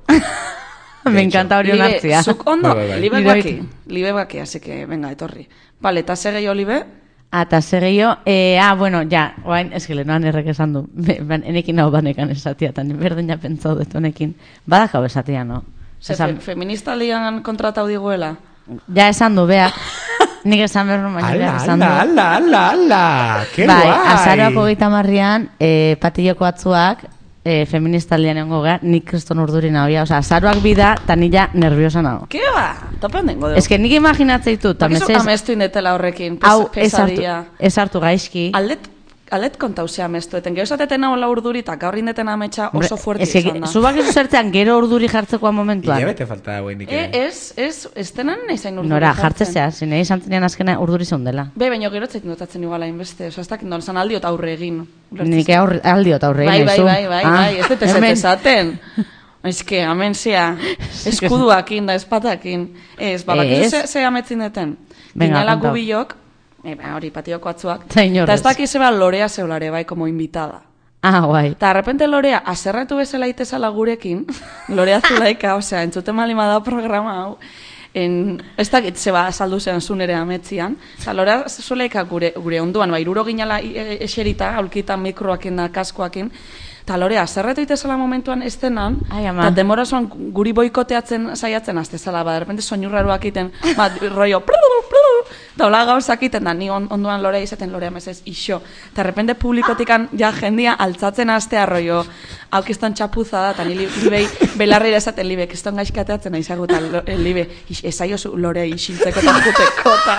Me encanta hori Libe, onartzia. zuk ondo, Bai, bai, bai. libe Nire baki, libe baki, así que, venga, etorri. Vale, eta segei olibe? Ata segio, eh, ah, bueno, ja, oain, ez que lehenoan errek esan du, Be- ban- enekin hau banekan esatia, eta berdin ja pentsau dut honekin. Badakau esatia, no? Ze, Esan, fe, feminista lian kontratau diguela. ja esan du, beak, nik esan behar nuen, baina Ala, beak esan du. ala, ala, ala, ala, que Bai, guai. azaroako geita marrian, eh, patilloko batzuak, eh, feminista lian egongo gara, nik kriston urduri nahoia, oza, azaroak bida, eta nila nerviosa nago. Ke ba? Topen dengo dugu. Ez que nik imaginatzei dut, eta Bakizu mesez, amestu indetela horrekin, pes, hau ez hartu, pesadilla. ez hartu gaizki. Aldet, aldet kontauzea amestu, eten gero esateten hau la urduri, eta gaur indeten ametsa oso fuerte Ez que, izan da. zubak ez zertzean gero urduri jartzekoa momentuan. Hilabete falta da guendik. E, ez, ez, ez tenan nahizain urduri Nora, jartzen. jartzezea, zine izan zenean azkena urduri zeundela. Be, baino gero etzait notatzen iguala inbeste, oso ez dakit non zan aldiot aurre egin. Nik aurre, aldiot aurre Bai, egin bai, naizu. bai, bai, Ah, bai, ez dut ez hemen. esaten. Ez que, amen zea, eskuduakin da espatakin. Ez, babakizu Ez. ze, ze ametzin deten. Venga, Ginela kontau. gubilok, e, ba, hori patioko atzuak. Ta inorrez. Eta ez dakiz zeba Lorea zeulare, bai, como invitada. Ah, guai. Eta, de repente Lorea, aserratu bezala itezala gurekin, Lorea Zulaika, osea, entzuten malima da programa hau, en, ez dakit zeba saldu zen zunere ametzian, eta Lorea Zulaika gure, gure onduan, ba, iruro ginala e- eserita, aulkitan mikroakin da, kaskoakin, eta Lorea, aserratu itezala momentuan ez denan, Ai, ama. eta demora zoan guri boikoteatzen saiatzen aztezala, ba, de repente soinurraruak iten, ba, rollo, eta hola gauzak iten da, ni on, onduan Lorea izaten Lorea mesez, iso. Eta de repente publikotikan ja jendia altzatzen astea rollo, hau kiston txapuza da, eta ni li- libei belarrira esaten libe, kiston gaizkateatzen aizagu, eta lo- eh, libe, is- esaiozu Lorea isiltzeko eta juteko, eta,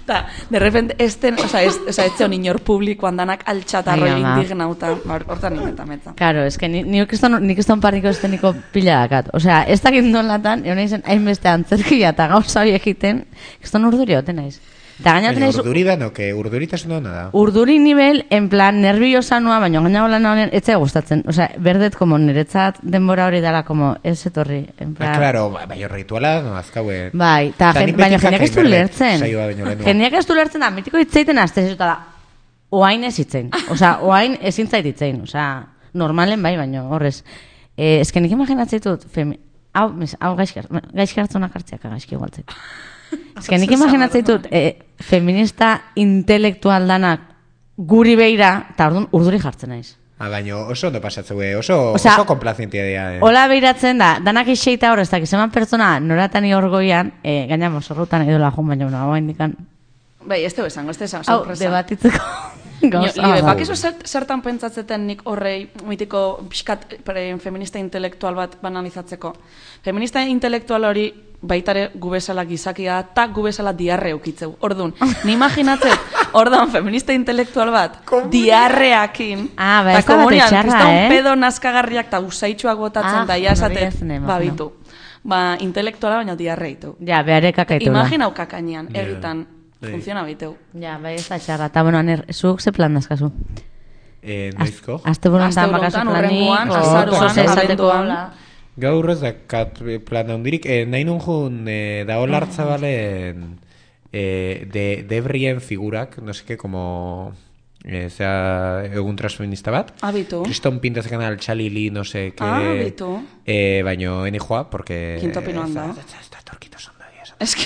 eta de repente esten, oza, ez, oza, ez zeon inor publikoan danak altxata Ai, rollo ama. indignauta, ba, hortan nimeta metza. Karo, ez que ni, ni kriston, ni kriston parriko esteniko pila dakat. Osea, ez dakit nolatan, egon naizen hainbeste antzerkia eta gauza biek egiten, kriston urduri hoten naiz. Eta gaina hoten Baina naiz, urduri da, no, que urduritasun da da. urduri nivel, en plan, nerviosa nua, baina gaina hola honen, ez zai gustatzen. Osea, berdet, como niretzat denbora hori dela, como, ez etorri. En plan, Ah, claro, ba- bai, rituala, no, azkaue. Bai, eta Eta jen, nik baina beti jendeak ez du jakin berdet, lertzen. saioa baino lehenua. Jendeak ez du lertzen da, mitiko hitzeiten azte zuta da, oain ez hitzein. Osea, oain ezin zait hitzein. Osea, normalen bai, baino, horrez. Eh, ez que nik imaginatzen dut, femi, hau, mes, hau gaizki gaizki hartzunak hartzeak, gaizki igualtzeko. Ez que nik imaginatzen dut, eh, feminista intelektual danak guri beira, eta orduan urduri jartzen naiz. Ah, baino oso ondo pasatzeu, oso, Osea, oso komplazientia dira. Eh. Hola beiratzen da, danak eixeita hor, ez dakiz eman pertsona noratani orgoian, eh, gaina mozorrutan edola jun, baina bueno, hau indikan, Bai, ez teo esango, ez teo esango, hau, sorpresa. debatitzeko. Gauza Libe, bat. bakizu zert, zertan pentsatzeten nik horrei mitiko pixkat pre- feminista intelektual bat banalizatzeko. Feminista intelektual hori baitare gu bezala gizakia eta gu bezala diarre eukitzeu. Orduan, ni imaginatzet, orduan feminista intelektual bat diarreakin, Ah, ba, ta ez da bat komunian, etxarra, kriston eh? pedo nazkagarriak eta usaitxuak botatzen Ah, da, ja hori esatet, ez ne ba, imagino. bitu. Ba, intelektuala baina diarreitu. Ja, beharek akaitula. Imaginau kakainean, egitan, Bai. funtziona biteu. Ja, bai ez da txarra. Ta, bueno, aner, zuk ze plan dazkazu? Eh, noizko? Azte burontan Aste bakazu burontan, planik, hurrengoan, o azaroan, zoze esateko abenduan. hola. Gaur ez dakat plan handirik, eh, nahi nun jun eh, da Olartzabalen eh, de, debrien figurak, no sé qué, como eh, sea egun transfeminista bat. Abitu. Kriston pintazekan altxalili, no sé qué. Ah, abitu. Eh, baino eni joa, porque... Quinto pinoan da. Ez da torkito sonda dia. Es que,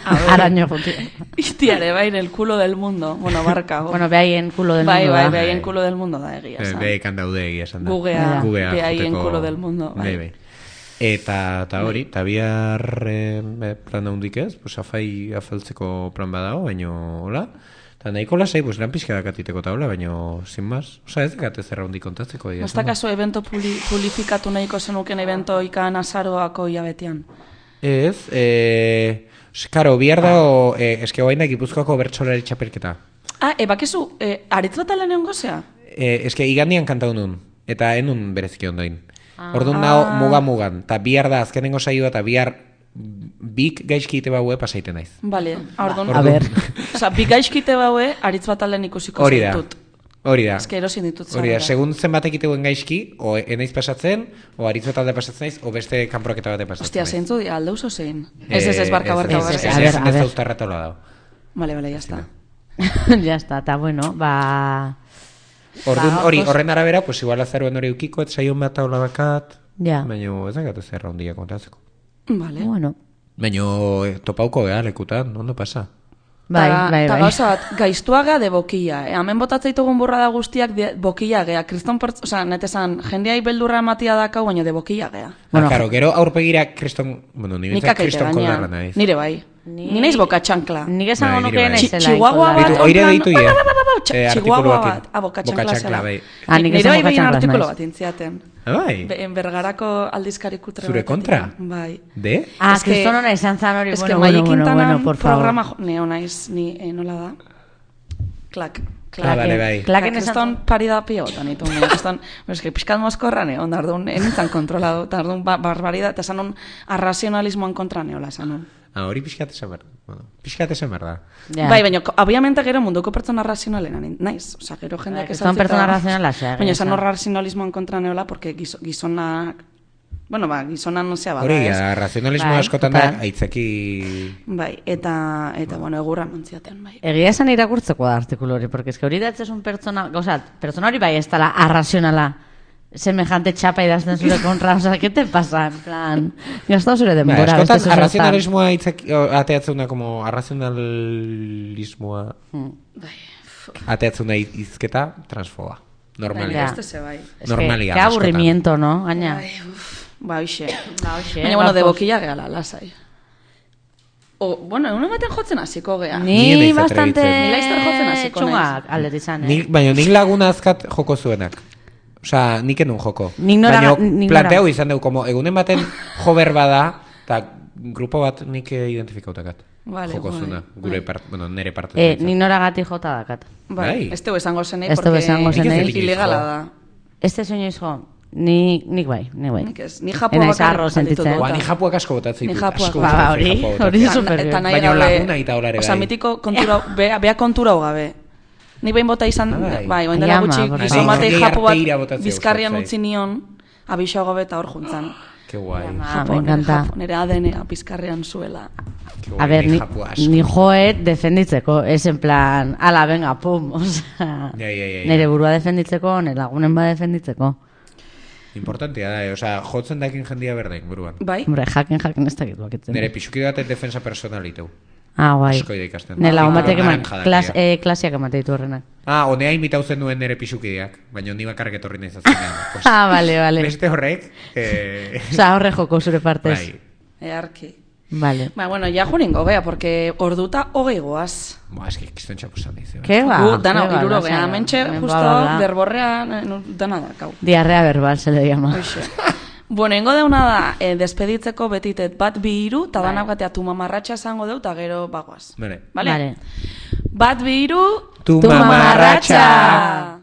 Araño juti. itiare, bai, el culo del mundo. Bueno, barkago. Bueno, behaien culo del bai, mundo bai, da. behaien culo del mundo da egia, Eh, esan. Behekan daude egia esan da. Gugea, Gugea behaien joteko- culo del mundo, bai. Bai, bai. Eta, eta hori, eta bihar eh, plan handik ez, pues afai afaltzeko plan badao, baino, hola. Eta nahiko lasai, pues lan pixka dakatiteko eta hola, baino, sin más. Osa, ez dakate zerra handik kontatzeko. egia Ez esan da. dakazu evento puli, publifikatu nahiko zenuken evento ikan azaroako hilabetean. Ez, eh, karo, bihar dago, eh, eske guainak Gipuzkoako bertsolari txapelketa. Ah, e, bakizu, e, aritz bat alen egon gozea? Eh, eske igandian kantau nun, eta enun bereziki ondoin. Orduan nago muga-mugan, eta bihar da azkenengo saioa, eta bihar bik gaizkite baue pasaiten naiz. Bale, orduan. A ber. Osa, bi gaizkite baue, aritz bat alen ikusiko Hori da, zaitut. hori da. Ez que erosin ditut Hori da, zarela. segun zenbatek iteuen gaizki, o enaiz pasatzen, o aritz bat alde pasatzen naiz, o beste kanporoketa bate pasatzen Ostia, naiz. zeintzu dira, alde uso zein. Ez, ez, ez, barka, barka, Ez, barka. ez, A ez, ver, ez, a ez ver. austarratola dago. Vale, vale, ya está. Ja está, eta bueno, ba... Orduan, Ba, hori, pues- horren arabera, pues igual azaroan hori eukiko, et saion bat taula bakat, Ja. baina ez dakat ez erra hondia kontatzeko. Vale. Bueno, Baina eh, topauko geha lekutan, ondo pasa. bai, Ta- bai, ta bai. gauza bat, gaiztuaga de bokia. E, hemen botatzeitugun burra da guztiak de bokia gea. Kriston pertz... Osa, netesan, jendeai beldurra ematia dakau, baina de bokia gea. Bueno, Bueno, claro, gero aurpegira kriston, bueno, ni Nik bintzat akaite kriston baina. koldarra naiz. Nire bai. Ni- Ni naiz boka txankla. Nik esango Bai, nire nuke bai. naizela. Chihuahua inkola. bat, Bitu, oire en plan, ditu ba, ja. ba, ba, ba, ba, tx- Eh, Chihuahua artikuluakin. bat, ah, boka Boka txankla txankla, zela. bai. Ah, nik Nire esan bai boka behin txanklas artikulu naiz. bat intziaten. Ah, bai? Be- en bergarako aldizkari kutre Zure batetik. kontra? Bai. De? Ah, Es que- kriston hona izan zan hori, Ez que bueno, bueno, Maia bueno, Quintanan bueno, por favor. programa jo- neo naiz, ni eh, nola da? Klak. Ah, bale, bai. Klaken Klak, esan kriston pari da pio botan ditu. Kriston, es que pixkat mozkorra ne, onda ardun, enintzan kontrolado, eta ardun ba, barbaridad, eta esan un arrazionalismoan kontra neola, esan un. Ah, hori pixkat esan behar. Bueno, pixkat esan behar da. Ja. Bai, baina, ko- obviamente gero munduko pertsona razionalena ni- naiz. Osa, gero jendeak Bai, kriston pertsona razionala zea, Baina esan esan. hor razionalismoan kontra neola, porque gizo, gizonak... Bueno, ba, gizonan zea bada, Hori, ez? ja, razionalismo Bai, askotan da, total. aitzeki... Bai, eta, eta bueno, egurra mantziaten, bai. Egia esan irakurtzeko da artikulu hori, porque es que hori datzez un pertsona, gauza, pertsona hori bai ez dela arrazionala, semejante txapa idazten zure kontra, o sea, ¿qué te pasa? En plan, gastau zure Ba, denbora. beste askotan zuzertan. arrazionalismoa aitzeki, o, ateatzeuna como arrazionalismoa Bai, ateatzeuna izketa transfoba. Normalia. Ja. beste ze bai. Es Normalia, que, que askotan. aburrimiento, no? Gaina. Bai, uf, ba, hoxe. Ba, hoxe, Baina, bueno, de bajos. boquilla gehala, lasai. O, bueno, egun ematen jotzen hasiko gea. Ni Ni naiz bastante atrebitzen. Ni laizter jotzen hasiko txungak aldetizan, eh? Nik, baina nik laguna azkat joko zuenak. Osa, nik enun joko. Nik nora- Baina nik nora- planteau izan dugu, como egunen baten jober bada, eta grupo bat nik eh, identifikautakat. Vale, joko bai, zuena, gure bai. part, bueno, nere parte. Eh, ni noragati jota dakat. Bai, Bai. ez teu esango zenei, Ez teu porque esango zenei. Nik ez dut ilegala inoiz jo. da. Este sueño hijo, ni, nik bai, nik bai. Nik ez, ni japua Enaiz bakarrik arro sentitu sentitzen. dut. Ba, ni japuak asko botatzen Ni ditut. japuak. asko Ba, botatzen hori, japua botatzen. hori Eta- super eta nahi Baina gabe- laguna eta olare Osa, bai. mitiko kontura, bea, bea kontura hau gabe. Ni behin bota izan, Ah, bai. bai, oin dela Ai, ama, gutxi, porque- gizon Nik batei gehi japu bat arteira botatzea bizkarrian gustatzen utzi nion, abixo gabe eta hor juntzan. Ke guai. Ah, me encanta. Nire A D N-a bizkarrian zuela. Ke guai, A ver, ni, japua asko. ni joet defenditzeko, es en plan, ala, venga, pum, o sea, Ja, ja, ja, ja. nire burua defenditzeko, nire lagunen ba defenditzeko. Importantea da, eh? Osea, jotzen dakin jendia berdain, buruan. Bai? Hombre, jaken, jaken ez dakit bakitzen. Nere pixuki batek defensa personaliteu. Ah, guai. Asko ida ikasten. Nire lagun batek eman, Naranja klas, dakia. eh, klasiak emate ditu horrenak. Ah, honea imitau zen duen nere pixukideak, baina ni bakarrik etorri nahi zazenean. Pues, Ah, vale, vale. beste horrek, eh, Osa, horre joko zure partez. bai, Earki. Vale. Ba, bueno, ja juningo, bea, porque orduta hogei goaz. Ba, eski, kiston txapusan dizu. Ke ba? Gu, dana, ke ba, iruro lasai, gea, mentxe, hemen justo, bada. berborrean, eh, no, dana da, kau. Diarrea verbal se le llama. Hoxe. Bueno, ingo deuna da, eh, despeditzeko betitet bat bi hiru, eta Bai. danak batea tu mamarratxa esango deu, eta gero bagoaz. Bale. Vale? Vale. Bat bi hiru, Tu mamarratxa!